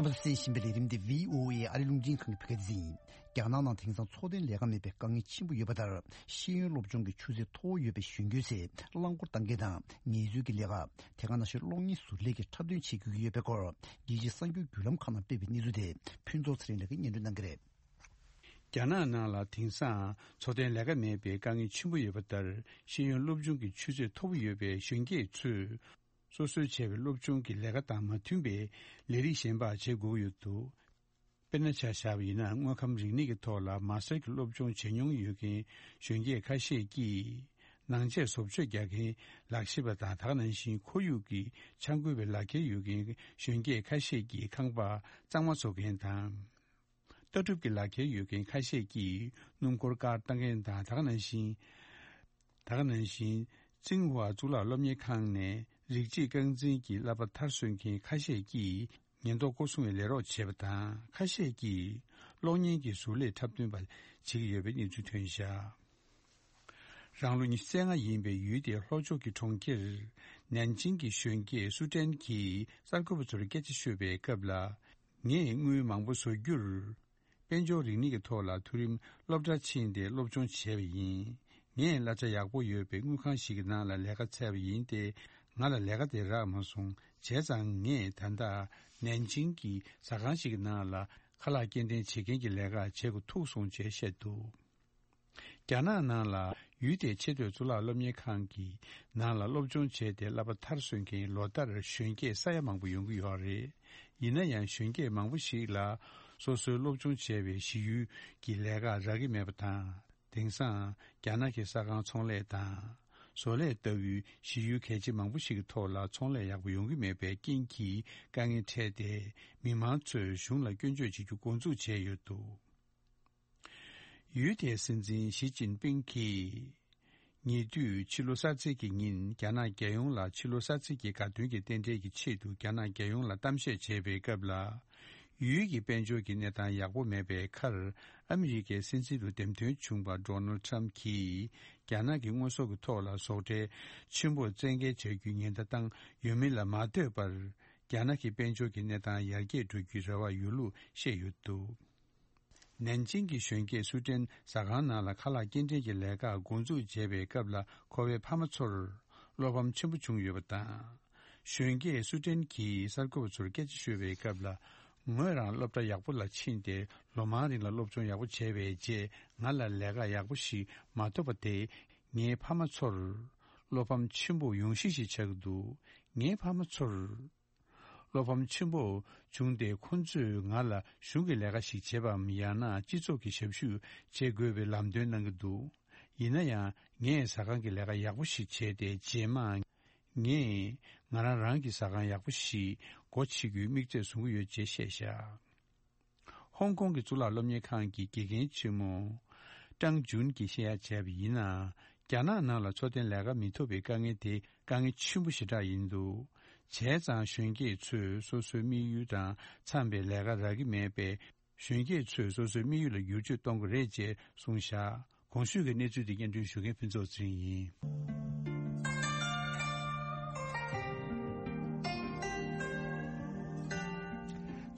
རྣམ་པ་ཚོས་གསན་བཞིན་པའི་ལས་རིམ་འདི་བྷི་ཨོ་ཨེ་ཨ་རི་རླུང་འཕྲིན་ཁང་གི་བོད་སྐད་སྡེ་ཚན་ཡིན། རྒྱ་ནག་ནང་དེང་སང་འཚོ་རྟེན་ལས་ཀ་མེད་པའི་དཀའ་ངལ་ཆེན་པོ་ཡོད་པ་ལྟར། ཤེས་ཡོན་སློབ་སྦྱོང་གི་ཆུ་ཚད་མཐོ་བོ་ཡོད་པའི་གཞོན་སྐྱེས་ཚོས་རླངས་འཁོར་བཏང་མཁན་དང་ངལ་རྩོལ་གྱི་ལས་ཀ། དེ་ག་ནང་བཞིན་གློག་བརྙན་བཟོ་ལས་ཀྱི་འཁྲབ་སྟོན་བྱེད་དགོས་ཀྱི་ཡོད་པའི་སྐོར། རྒྱལ་སྤྱིའི་གསར་འགྱུར་བརྒྱུད་ལམ་ཁག་ནང་སྤེལ་བའི་གནས་ཚུལ་དེ་ཕུན་ཚོགས་ཚེ་རིང་ལགས་ཀྱིས་སྙན་སྒྲོན་གནང་གི་རེད། རྒྱ་ནག་ནང་ལ་དེང་སང་འཚོ་རྟེན་ལས་ཀ་མེད་པའི་དཀའ་ངལ་ཆེན་པོ་ཡོད་པ་ལྟར། ཤེས་ཡོན་སློབ་སྦྱོང་གི་ཆུ་ཚད་མཐོ་པོ་ཡོད་པའི་གཞོན་སྐྱེས་ཚོས། སོ་སོས་བྱས་པའི་སློབ་སྦྱོང་གི་ལས་ཀ་དང་མ་མཐུན་པའི་ལས་རིགས་གཞན་པ་བྱེད་དགོས་ཀྱི་ཡོད་འདུག་དཔེར་ན་ཆ་བཞག་པ་ཡིན་ན། དངོས་ཁམས་རིག་གནས་ཀྱི་ཐོག་ལ་མ་སྟར་གྱི་སློབ་སྦྱོང་བྱེད་མྱོང་ཡོད་མཁན་གཞོན་སྐྱེས་ཁ་ཤས་ཀྱིས། ནང་ཆས་བཟོ་བཅོས་རྒྱག་མཁན་ལག་ཤེས་པ་དང་། ད་ག་ནང་བཞིན་ཁོར་ཡུག་གི་འཆར་འགོད་པའི་ལག་འཁྱེར་ཡོད་མཁན་གཞོན་སྐྱེས་ཁ་ཤས་ཀྱིས་ཁང་པ་གཙང་མ་བཟོ་མཁན་དང་། ལྟ་གྲུབ་ཀྱི་ལག་འཁྱེར་ཡོད་མཁན་ཁ་ཤས་ཀྱིས་སྣུམ་འཁོར་ཀར་བཏང་མཁན་དང་། ད་ག་ནང་བཞིན། ད་ག་ནང་བཞིན། ཙིང་ཧྭ་གཙུག་ལག་སློབ་གཉེར་ཁང་ནས་རིགས་གཅིག་རྐང་འཛིན་གྱི་བསླབ་པ་མཐར་སོན་མཁན་ཁ་ཤས་ཀྱིས་ཉེན་རྟོག་སྐོར་སྲུང་བའི་ལས་རོགས་བྱས་པ་དང་། ཁ་ཤས་ཀྱིས་གློག་བརྙན་གྱི་བཟོ་ལས་འཁྲབ་སྟོན་པ་བྱེད་ཀྱི་ཡོད་པའི་གནས་ཚུལ་ཐོན་བཞག་རང་ལོ་ཉི་ཤུ་རྩ་ལྔ་ཡིན་པའི་ཡུལ་དེའི་ལྷོ་ཕྱོགས་ཀྱི་གྲོང་ཁྱེར་ནན་ཅིང་གི་གཞོན་སྐྱེས་སུ་ཀྲན་གྱིས་གསར་འགོད་པ་ཚོར་སྐད་ཆ་ཤོད་པའི་སྐབས་ལ། ངས་དངུལ་མང་པོ་བཟོ་རྒྱུར། དཔལ་འབྱོར་རིག་གནས་ཀྱི་ཐོག་ལ་མཐོ་རིམ་སློབ་གྲྭར་ཕྱིན་ཏེ་སློབ་སྦྱོང་བྱས་པ་ཡིན། ངས་གླ་ཆ་ཡག་པོ་ཡོད་པའི་དངུལ་ཁང་ཞིག་གི་ནང་ལ་ལས་ཀ་བཙལ་བ་ཡིན་ཏེ། ང་ལ་ལས་ཀ་དེ་རག་མ་སོང་། བྱས་ཙང་ངས་ད་ལྟ་ནན་ཅིང་གི་ཟ་ཁང་ཞིག་གི་ནང་ལ་ཁ་ལག་སྐྱེལ་འདྲེན་བྱེད་མཁན་གྱི་ལས་ཀ་བྱེད་དགོས་ཐུག་སོང་ཅེས་བཤད་འདུག་རྒྱ་ནག་ནང་ལ་ཡུལ་དེའི་ཆེས་མཐོའི་གཙུག་ལག་སློབ་གཉེར་ཁང་གི་ནང་ལ་སློབ་སྦྱོང་བྱས་ཏེ་བསླབ་པ་མཐར་སོན་མཁན་ལོ་ལྟར་གཞོན་སྐྱེས་ས་ཡ་མང་པོ་ཡོང་གི་ཡོད་རེད། ཡིན་ན་ཡང་གཞོན་སྐྱེས་མང་པོ་ཞིག་ལ་སོ་སོའི་སློབ་སྦྱོང་བྱས་པའི་གཞི་ཡུལ་གྱི་ལས་ཀ་རག་གི་མེད་པ་དང་། དེང་སང་རྒྱ་ནག་གི་ས་ཁང་ཚོང་ལས་དང་། བཟོ་ལས་ལྟ་བུའི་གཞི་ཡུལ་གལ་ཆེ་མང་པོ་ཞིག་གི་ཐོག་ལ་ཚོང་ལས་ཡག་པོ་ཡོང་གི་མེད་པའི་རྐྱེན་གྱིས་དཀའ་ངལ་འཕྲད་དེ། མི་མང་ཚོས་གཞུང་ལ་སྐྱོན་བརྗོད་བྱེད་རྒྱུ་འགོ་འཛུགས་བྱས་ཡོད་འདུག་ཡུལ་དེའི་སྲིད་འཛིན་ཞི་ཅིན་ཕིང་གིས། ཉེ་དུས་ཕྱི་ལོ་གསར་ཚེས་ཀྱི་ཉིན། རྒྱ་ནག་རྒྱལ་ཡོངས་ལ་ཕྱི་ལོ་གསར་ཚེས་ཀྱི་དགའ་སྟོན་གྱི་རྟེན་འབྲེལ་གྱི་ཆེད་དུ་རྒྱ་ནག་རྒྱལ་ཡོངས་ལ་གཏམ་བཤད་བྱས་པའི་སྐབས་ལ། ཡུལ་གྱི་དཔལ་འབྱོར་གྱི་གནས་སྟངས་ཡག་པོ་མེད་པའི་ཁར། ཨ་མི་རི་ཀའི་སྲིད་འཛིན་དུ་འདེམས་ཐོན་བྱུང་བ་ཌོ་ནལ་ཌི་ཊརམ་ཕི་གྱིས། རྒྱ་ནག་གི་དངོས་ཟོག་གི་ཐོག་ལ་ཟོག་ཁྲལ་ཆེན་པོ་བཙན་འགེལ་བྱ་རྒྱུའི་ཉེན་བརྡ་བཏང་ཡོད་མིན་ལ་མ་ལྟོས་པར། རྒྱ་ནག་གི་དཔལ་འབྱོར་གྱི་གནས་སྟངས་ཡར་རྒྱས་འགྲོ་རྒྱུའི་རེ་བ་ཡོད་ལུགས་བཤད་ཡོད་འདུག་ནན་ཅིང་གི་གཞོན་སྐྱེས་སུ་ཀྲན་ཟ་ཁང་ནང་ལ་ཁ་ལག་སྐྱེལ་འདྲེན་གྱི་ལས་ཀ་འགོ་འཛུགས་བྱས་པའི་སྐབས་ལ། ཁོ་པའི་ཕ་མ་ཚོར་བློ་ཕམ་ཆེན་པོ་བྱུང་ཡོད་པ་དང་། གཞོན་སྐྱེས་སུ་ཀྲན་གྱིས་གསར་འགོད་པ་ཚོར་སྐད་ཆ་ཤོད་པའི་སྐབས་ལ། ངོས་རང་སློབ་གྲྭ་ཡག་པོ་ལ་ཕྱིན་ཏེ། ལོ་མང་རིང་ལ་སློབ་སྦྱོང་ཡག་པོ་བྱས་པའི་རྗེས། ང་ལ་ལས་ཀ་ཡག་པོ་ཞིག་མ་ཐོབ་པ་དེས། ངའི་ཕ་མ་ཚོར་བློ་ཕམ་ཆེན་པོ་ཡོང་གཞི་ཞིག་ཆགས་ཀྱི་འདུག་ངའི་ཕ་མ་ཚོར། བློ་ཕམ་ཆེན་པོ་བྱུང་སྟེ། ཁོ་ཚོས་ང་ལ་གཞུང་གི་ལས་ཀ་ཞིག་བྱེད་པའམ། ཡང་ན་སྤྱི་ཚོགས་ཀྱི་ཞབས་ཞུ་བྱེད་དགོས་པའི་ལམ་སྟོན་གནང་གི་འདུག་ཡིན་ན་ཡང་། ངས་ཟ་ཁང་གི་ལས་ཀ་ཡག་པོ་ཞིག་བྱས་ཏེ། རྗེས་མ་ངས་ང་རང་རང་གི་ཟ་ཁང་ཡག་པོ་ཞིག་སྒོ་ཕྱེ་རྒྱུའི་དམིགས་ཚད་བཟུང་གི་ཡོད་ཅེས་བཤད་བཞག་ཧོང་ཀོང་གི་གཙུག་ལག་སློབ་གཉེར་ཁང་གི་དགེ་རྒན་ཆེན་མོ་ཀྲང་ཇུན་གྱིས་བཤད་ཡ་བྱས་པ་ཡིན་ན། རྒྱ་ནག་ནང་ལ་འཚོ་རྟེན་ལས་ཀ་མི་ཐོབ་པའི་དཀའ་ངལ་དེ་དཀའ་ངལ་ཆེན་པོ་ཞེ་དྲག་ཡིན་འདུག་བྱས་ཙང་གཞོན་སྐྱེས་ཚོས་སོ་སོའི་དམིགས་ཡུལ་དང་འཚམས་པའི་ལས་ཀ་རག་གི་མེད་པས། གཞོན་སྐྱེས་ཚོས་སོ་སོའི་དམིགས་ཡུལ་ལ་བསྒྱུར་བཅོས་གཏོང་གི་རེད་ཅེས་གསུངས་བཞག་གོང་ཞུས་ཀྱི་གནས་ཚུལ་དེ་སྙན་སྒྲོན་ཞུ་མཁན་ཕུན་ཚོགས་ཚེ་རིང་ཡིན།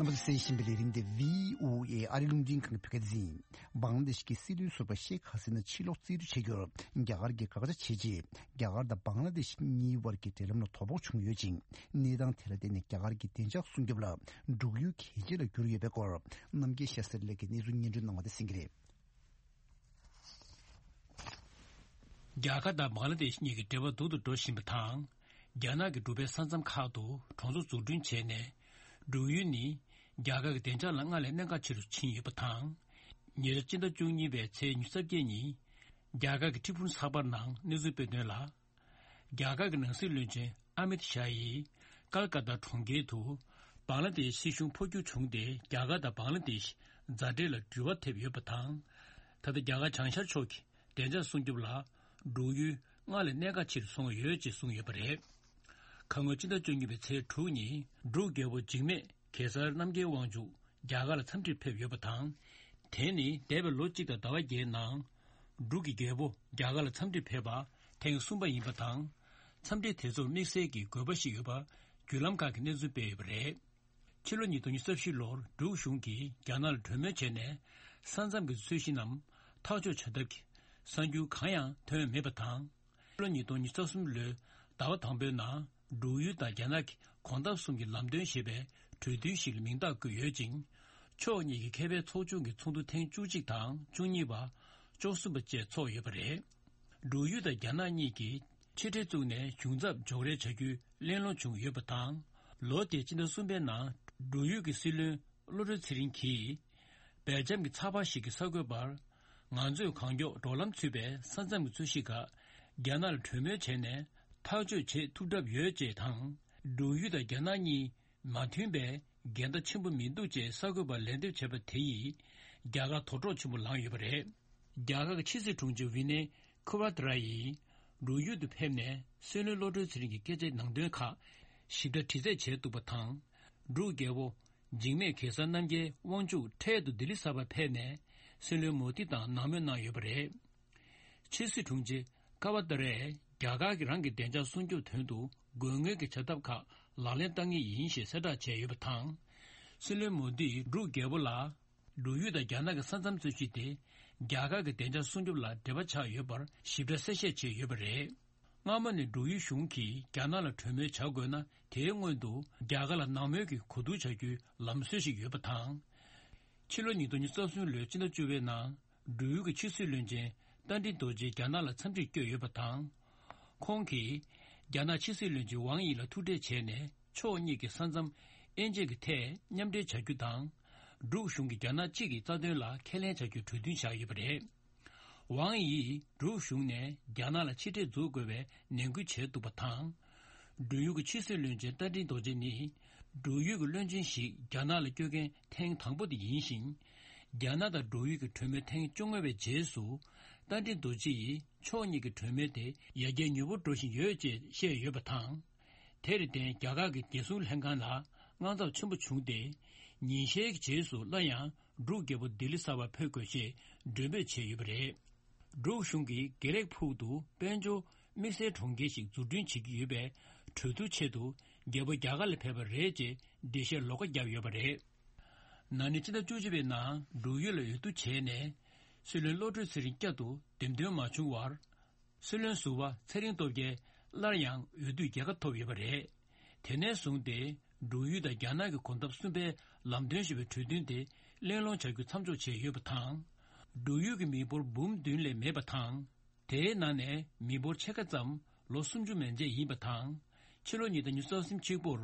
རྣམ་པ་ཚོས་གསན་བཞིན་པའི་ལས་རིམ་དེ་བྷི་ཨོ་ཨེ་ཨ་རིའི་རླུང་འཕྲིན་ཁང་གི་བོད་སྐད་སྡེ་ཚན་ཡིན། བང་ལ་དེ་ཤི་གི་སྲིད་བློན་ཟུར་པ་ཤེག་ཧ་སི་ན་ཕྱིར་ལོག་རྩིས་སྤྲོད་བྱེད་རྒྱུར་རྒྱ་གར་གྱིས་དགག་བྱ་བྱས་རྗེས། རྒྱ་གར་དང་བང་ལ་དེ་ཤི་གཉིས་བར་གྱི་འབྲེལ་ལམ་ལ་དོ་ཕོག་བྱུང་ཡོད་ཅིང་། གནས་སྟངས་དེ་ལ་བརྟེན་ནས་རྒྱ་གར་གྱི་བདེ་འཇགས་སྲུང་སྐྱོབ་ལ་འབྲུག་ཡུལ་གལ་ཆེ་ལ་གྱུར་ཡོད་པའི་སྐོར། རྣམ་རྒྱལ་ཤཱ་སྟྲི་ལགས་ཀྱིས་གནས་ཚུལ་སྙན་སྒྲོན་གནང་བ་དེ་གསན་གྱི་རེད། རྒྱ་གར་དང་བང་ལ་དེ་ཤི་གཉིས་ཀྱི་འབྲེལ་བ་སྡུག་ཏུ་འགྲོ་བཞིན་པ་དང་། རྒྱ་ནག་གི་འབྲུག་པའི་ས་མཚམས་ཁག་ཏུ་གྲོང་ཚོ་འཛུགས་སྐྲུན་བྱས་ནས། འབྲུག་ཡུལ་ནི་རྒྱ་གར་གྱི་བདེ་འཇགས་ལ་སྔར་ལས་གནད་འགག་ཆེ་རུ་ཕྱིན་ཡོད་པ་དང་། ཉེ་ཆར་སྤྱི་ཟླ་བཅུ་གཉིས་པའི་ཚེས་ཉི་ཤུ་རྩ་བརྒྱད་ཉིན། རྒྱ་གར་གྱི་ཁྲི་འཕུར་ཚགས་པར་ནང་གནས་ཚུལ་སྤེལ་དོན་ལ། རྒྱ་གར་གྱི་ནང་སྲིད་བློན་ཆེན་ཨ་མིད་ཤཱ་ཡིས་ཀལ་ཀ་ཏ་གྲོང་ཁྱེར་དུ་བང་ལ་དེ་ཤི་སྲིད་གཞུང་འཕོ་འགྱུར་བྱུང་སྟེ། རྒྱ་གར་དང་བང་ལ་དེ་ཤི་མཛའ་འབྲེལ་ལ་འགྱུར་བ་ཐེབས་ཡོད་པ་དང་། ད་ལྟ་རྒྱ་གར་བྱང་ཤར་ཕྱོགས་ཀྱི་བདེ་འཇགས་སྲུང་སྐྱོབ་ལ་འབྲུག་ཡུལ་སྔར་ལས་གནད་འགག་ཆེ་རུ་སོང་ཡོད་ཅེས་གསུངས་ཡོད་པ་རེད། ཁ་སྔོན་ཕྱི་ཟླ་བཅུ་གཉིས་པའི་ཚེས་དྲུག་ཉིན་འབྲུག་རྒྱལ་པོ་འཇིགས་མེད་གེ་སར་རྣམ་རྒྱལ་དབང་ཕྱུག་རྒྱ་གར་ལ་འཚམས་འདྲིར་ཕེབས་ཡོད་པ་དང་། དེ་ནི་འདས་པའི་ལོ་གཅིག་དང་ཟླ་བ་བརྒྱད་ནང་འབྲུག་གི་རྒྱལ་པོ་རྒྱ་གར་ལ་འཚམས་འདྲིར་ཕེབས་པ་ཐེངས་གསུམ་པ་ཡིན་པ་དང་། འཚམས་འདྲི་དེ་ཚོར་དམིགས་བསལ་གྱི་དགོས་པ་ཞིག་ཡོད་པ་བརྒྱུད་ལམ་ཁག་གིས་གནས་ཚུལ་སྤེལ་ཡོད་པ་རེད། ཕྱི་ལོ་ཉིས་སྟོང་ཉི་ཤུ་རྩ་བཞི་ལོར་འབྲུག་གཞུང་གིས་རྒྱ་ནག་ལ་གྲོས་མོལ་བྱས་ནས། ས་མཚམས་ཀྱི་རྩོད་གཞི་རྣམས་ཐག་གཅོད་བྱ་ཐབས་ཀྱི་གསར་འགྱུར་གང་ཡང་ཐོན་མེད་པ་དང་། ཕྱི་ལོ་ཉིས་སྟོང་ཉི་ཤུ་རྩ་གསུམ་ལོའི་ཟླ་བ་དང་པོའི་ནང་། འབྲུག་ཡུལ་དང་རྒྱ་ནག་གི་གོམ་སྟབས་གསུམ་གྱི་ལམ་སྟོན་ཞེས་པའི་གྲོས་མཐུན་ཞིག་ལ་མིང་རྟགས་བཀོད་ཡོད་ཅིང་། ཕྱོགས་གཉིས་ཀྱི་མཁས་པའི་ཚོགས་ཆུང་གི་ཚོགས་འདུ་ཐེངས་བཅུ་གཅིག་དང་བཅུ་གཉིས་པ། བཅུ་གསུམ་པ་བཅས་འཚོགས་ཡོད་པ་རེད། འབྲུག་ཡུལ་དང་རྒྱ་ནག་གཉིས་ཀྱིས་ཕྱི་འབྲེལ་བཙུགས་ནས་གཞུང་ཚབ་འཇོག་རེས་བྱ་རྒྱུའི་གླེང་སློང་བྱུང་ཡོད་པ་དང་། ལོ་དེའི་སྤྱི་ཟླ་གསུམ་པའི་ནང་འབྲུག་ཡུལ་གྱི་སྲིད་བློན་བློ་གྲོས་ཚེ་རིང་གིས། སྦེལ་ཇམ་གྱི་ཚགས་པར་ཞིག་གིས་གསར་འགོད་པར། ང་ཚོས་གང་མགྱོགས་འབྲོག་ལམ་ཚུད་པའི་ས་མཚམས་ཀྱི་རྩོད་གཞི་ཁག་རྒྱ་ནག་ལ་གྲོས་མོལ་བྱས་ནས་ཐག་གཅོད་བྱེད་ཐུབ་གྲབས་ཡོད་ཅེས་དང་། འབྲུག་ཡུལ་དང་རྒྱ་ནག་གཉིས་མ་མཐུན་པའི་འགལ་ཟླ་ཆེན་པོ་མི་འདུག་ཅེས་གསར་འགོད་པར་ལན་འདེབས་བྱས་པ་དེ་ཡིས་རྒྱ་གར་དོགས་གྲོགས་ཆེན་པོ་ལངས་ཡོད་པ་རེད། རྒྱ་གར་གྱི་ཕྱི་སྲིད་དྲུང་ཆེ་ཝི་ནེ་ཁུ་བ་ཏྲ་ཡིས་འབྲུག་ཡུལ་དུ་ཕེབས་ནས་སྲིད་བློན་བློ་གྲོས་ཚེ་རིང་གི་སྐད་ཆའི་ནང་དོན་ཁག་ཞིབ་ཕྲ་དྲི་རྩད་བྱས་འདུག་པ་དང་། འབྲུག་རྒྱལ་པོ་འཇིགས་མེད་གེ་སར་རྣམ་རྒྱལ་དབང་ཕྱུག་འཕྲལ་དུ་ལྡི་ལི་གསར་པར་ཕེབས་ནས་སྲིད་བློན་མོ་དི་དང་གནང་མོལ་གནང་ཡོད་པ་རེད། ཕྱི་སྲིད་དྲུང་ཆེ་ཀ་བ་ཏཱ་རས་རྒྱ་གར་གྱིས་རང་གི་བདེ་འཇགས་སྲུང་སྐྱོབ་དོན་དུ་དགོས་ངེས་ཀྱི་བྱ་ཐབས་ཁག་ལག་ལེན་བསྟར་ངེས་ཡིན་ཞེས་གསལ་བསྒྲགས་བྱས་ཡོད་པ་དང་། སྲིད་བློན་མོ་དིས་འབྲུག་རྒྱལ་པོ་ལ། འབྲུག་ཡུལ་དང་རྒྱ་ནག་གི་ས་མཚམས་རྩོད་གཞི་དེ་རྒྱ་གར་གྱི་བདེ་འཇགས་སྲུང་སྐྱོབ་ལ་འབྲེལ་བ་ཆགས་ཡོད་པར་ཞིབ་ཕྲ་གསལ་བཤད་བྱས་ཡོད་པ་རེད། སྔ་མོ་ནས་འབྲུག་ཡུལ་གཞུང་གིས་རྒྱ་ནག་ལ་གྲོས་མོལ་བྱ་དགོས་ན་དེའི་སྔོན་དུ་རྒྱ་གར་ལ་ནང་མོལ་གྱི་གོ་བསྡུར་བྱ་རྒྱུའི་ལམ་སྲོལ་ཞིག་ཡོད་པ་དང་། ཕྱི་ལོ་ཉིས་སྟོང་ཉི་ཤུ་རྩ་གསུམ་ལོའི་སྤྱི་ཟླ་བཅུ་པའི་ནང་འབྲུག་ཡུལ་གྱི་ཕྱི་སྲིད་བློན་ཆེན་རྟ་མགྲིན་རྡོ་རྗེ་རྒྱ་ནག་ལ་འཚམས་འདྲིར་བསྐྱོད་ཡོད་པ་དང་། ཁོང་གིས་རྒྱ་ནག་ཕྱི་སྲིད་བློན་ཆེན་ཝང་ཡི་ལ་ཐུག་འཕྲད་བྱས་ནས་ཕྱོགས་གཉིས་ཀྱི་ས་མཚམས་དབྱེ་འབྱེད་ཀྱི་ཐད་མཉམ་འབྲེལ་བྱ་རྒྱུ་དང་། འབྲུག་གཞུང་གིས་རྒྱ་ནག་གཅིག་གི་རྩ་དོན་ལ་ཁས་ལེན་བྱ་རྒྱུའི་གྲོས་མཐུན་བཞག་ཡོད་པ་རེད། ཝང་ཡིས་འབྲུག་གཞུང་ནས་རྒྱ་ནག་ལ་ཕྱི་འབྲེལ་འཛུགས་དགོས་པའི་ནན་སྐུལ་བྱས་འདུག་པ་དང་། འབྲུག་ཡུལ་གྱི་ཕྱི་སྲིད་བློན་ཆེན་རྟ་མགྲིན་རྡོ་རྗེ་ནི། འབྲུག་ཡུལ་གྱི་བློན་ཆེན་ཞིག་རྒྱ་ནག་ལ་བསྐྱོད་མཁན་ཐེངས་དང་པོ་དེ་ཡིན་ཞིང་། རྒྱ་ནག་དང་འབྲུག་ཡུལ་གྱི་གྲོས་མོལ་ཐེངས་བཅོ་ལྔ་པའི་རྗེས་སུ། རྟ་མགྲིན་རྡོ་རྗེ་ཡིས་ཕྱོགས་གཉིས་ཀྱི་གྲོས་མོལ་དེ་ཡར་རྒྱས་མྱུར་པོ་འགྲོ་བཞིན་ཡོད་ཅེས་བཤད་ཡོད་པ་དང་། དེར་བརྟེན་རྒྱ་གར་གྱི་རྒྱལ་སྲུང་ལྷན་ཁང་ལ་དངངས་འཚབ་ཆེན་པོ་བྱུང་སྟེ། ཉིན་ཤས་ཀྱི་རྗེས་སུ་སླར་ཡང་འབྲུག་རྒྱལ་པོ་ལྡི་ལི་གསར་པར་ཕེབས་དགོས་ཞེས་མགྲོན་འབོད་བྱས་ཡོད་པ་རེད། འབྲུག་གཞུང་གིས་དགེ་ལེགས་ཕུག་ཏུ་དཔལ་འབྱོར་དམིགས་བསལ་གྲོང་ཁྱེར་ཞིག་འཛུགས་སྐྲུན་བྱེད་ཀྱི་ཡོད་པའི་གྲོས་བསྡུར་ཆེད་དུ་རྒྱལ་པོ་རྒྱ་གར་ལ་ཕེབས་པ་རེད་ཅེས་འགྲེལ་བཤད་ལོགས་ཀ་བརྒྱབ་ཡོད་པ་རེད། ན་ནིང་སྤྱི་ཟླ་བཅུ་གཅིག་པའི་ནང་འབྲུག་ཡུལ་ལ་འོས་བསྡུ་བྱས་ནས་སྲིད་བློན་བློ་གྲོས་ཚེ་རིང་བསྐྱར་དུ་འདེམས་ཐོན་མ་བྱུང་བར། སྲིད་བློན་ཟུར་པ་ཚེ་རིང་སྟོབས་རྒྱལ་སླར་ཡང་འོས་བསྡུའི་རྒྱལ་ཁ་ཐོབ་ཡོད་པ་རེད། དེ་ནས་བཟུང་སྟེ་འབྲུག་ཡུལ་དང་རྒྱ་ནག་གི་གོམ་སྟབས་གསུམ་པའི་ལམ་སྟོན་ཞེས་པའི་གྲོས་མཐུན་དེ་གླེང་སློང་བྱ་རྒྱུ་མཚམས་འཇོག་བྱས་ཡོད་པ་དང་། འབྲུག་ཡུལ་གྱི་མི་འབོར་འབུམ་བདུན་ལས་མེད་པ་དང་། དེའི་ནང་ནས་མི་འབོར་ཕྱེད་ཀ་ཙམ་ལོ་སུམ་ཅུ་མན་ཆད་ཡིན་པ་དང་། ཕྱི་ལོ་ཉིས་སྟོང་ཉི་ཤུ་རྩ་གསུམ་གཅིག་པུར་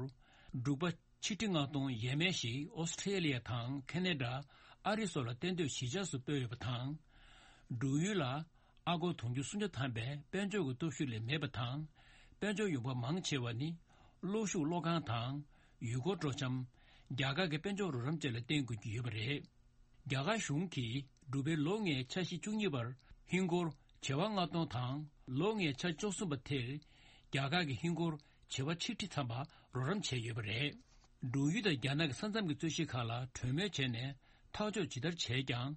འབྲུག་པ་ཆིག་ཁྲི་ལྔ་སྟོང་ཡས་མས་ཤིག་ཨོ་སི་ཁྲེ་ལི་ཡ་དང་ཁེ་ན་ཌ། ཨ་རི་སོགས་ལ་གཏན་སྡོད་གཞིས་ཆགས་སུ་སྤོས་ཡོད་པ་དང་། འབྲུག་ཡུལ་ལ་ཨ་སྒོར་དུང་ཕྱུར་སུམ་བརྒྱ་ཐམ་པའི་དཔལ་འབྱོར་གྱི་སྟོབས་ཤུགས་ལས་མེད་པ་དང་། དཔལ་འབྱོར་ཡོང་འབབ་མང་ཆེ་བ་ནི་གློག་ཤུགས་གློག་ཁང་དང་། ཡུལ་སྐོར་སྤྲོ་འཆམ། རྒྱ་གར་གྱི་དཔལ་འབྱོར་རོགས་རམ་བཅས་ལ་བརྟེན་དགོས་ཀྱི་ཡོད་པ་རེད། རྒྱ་གར་གཞུང་གིས་འབྲུག་པའི་ལོ་ལྔའི་འཆར་གཞི་བཅུ་གཉིས་པར་ཧིན་སྒོར་བྱེ་བ་ལྔ་སྟོང་དང་ལོ་ལྔའི་འཆར་བཅུ་གསུམ་པ་དེར་རྒྱ་གར་གྱི་ཧིན་སྒོར་བྱེ་བ་ཆིག་ཁྲི་ཐམ་པ་རོགས་རམ་བྱས་ཡོད་པ་རེད། འབྲུག་ཡུལ་དང་རྒྱ་ནག་གི་ས་མཚམས་ཀྱི་རྩོད་གཞི་ཁག་ལ་གྲོས་མོལ་བྱས་ནས་ཐག་གཅོད་ཇི་ལྟར་བྱས་ཀྱང་།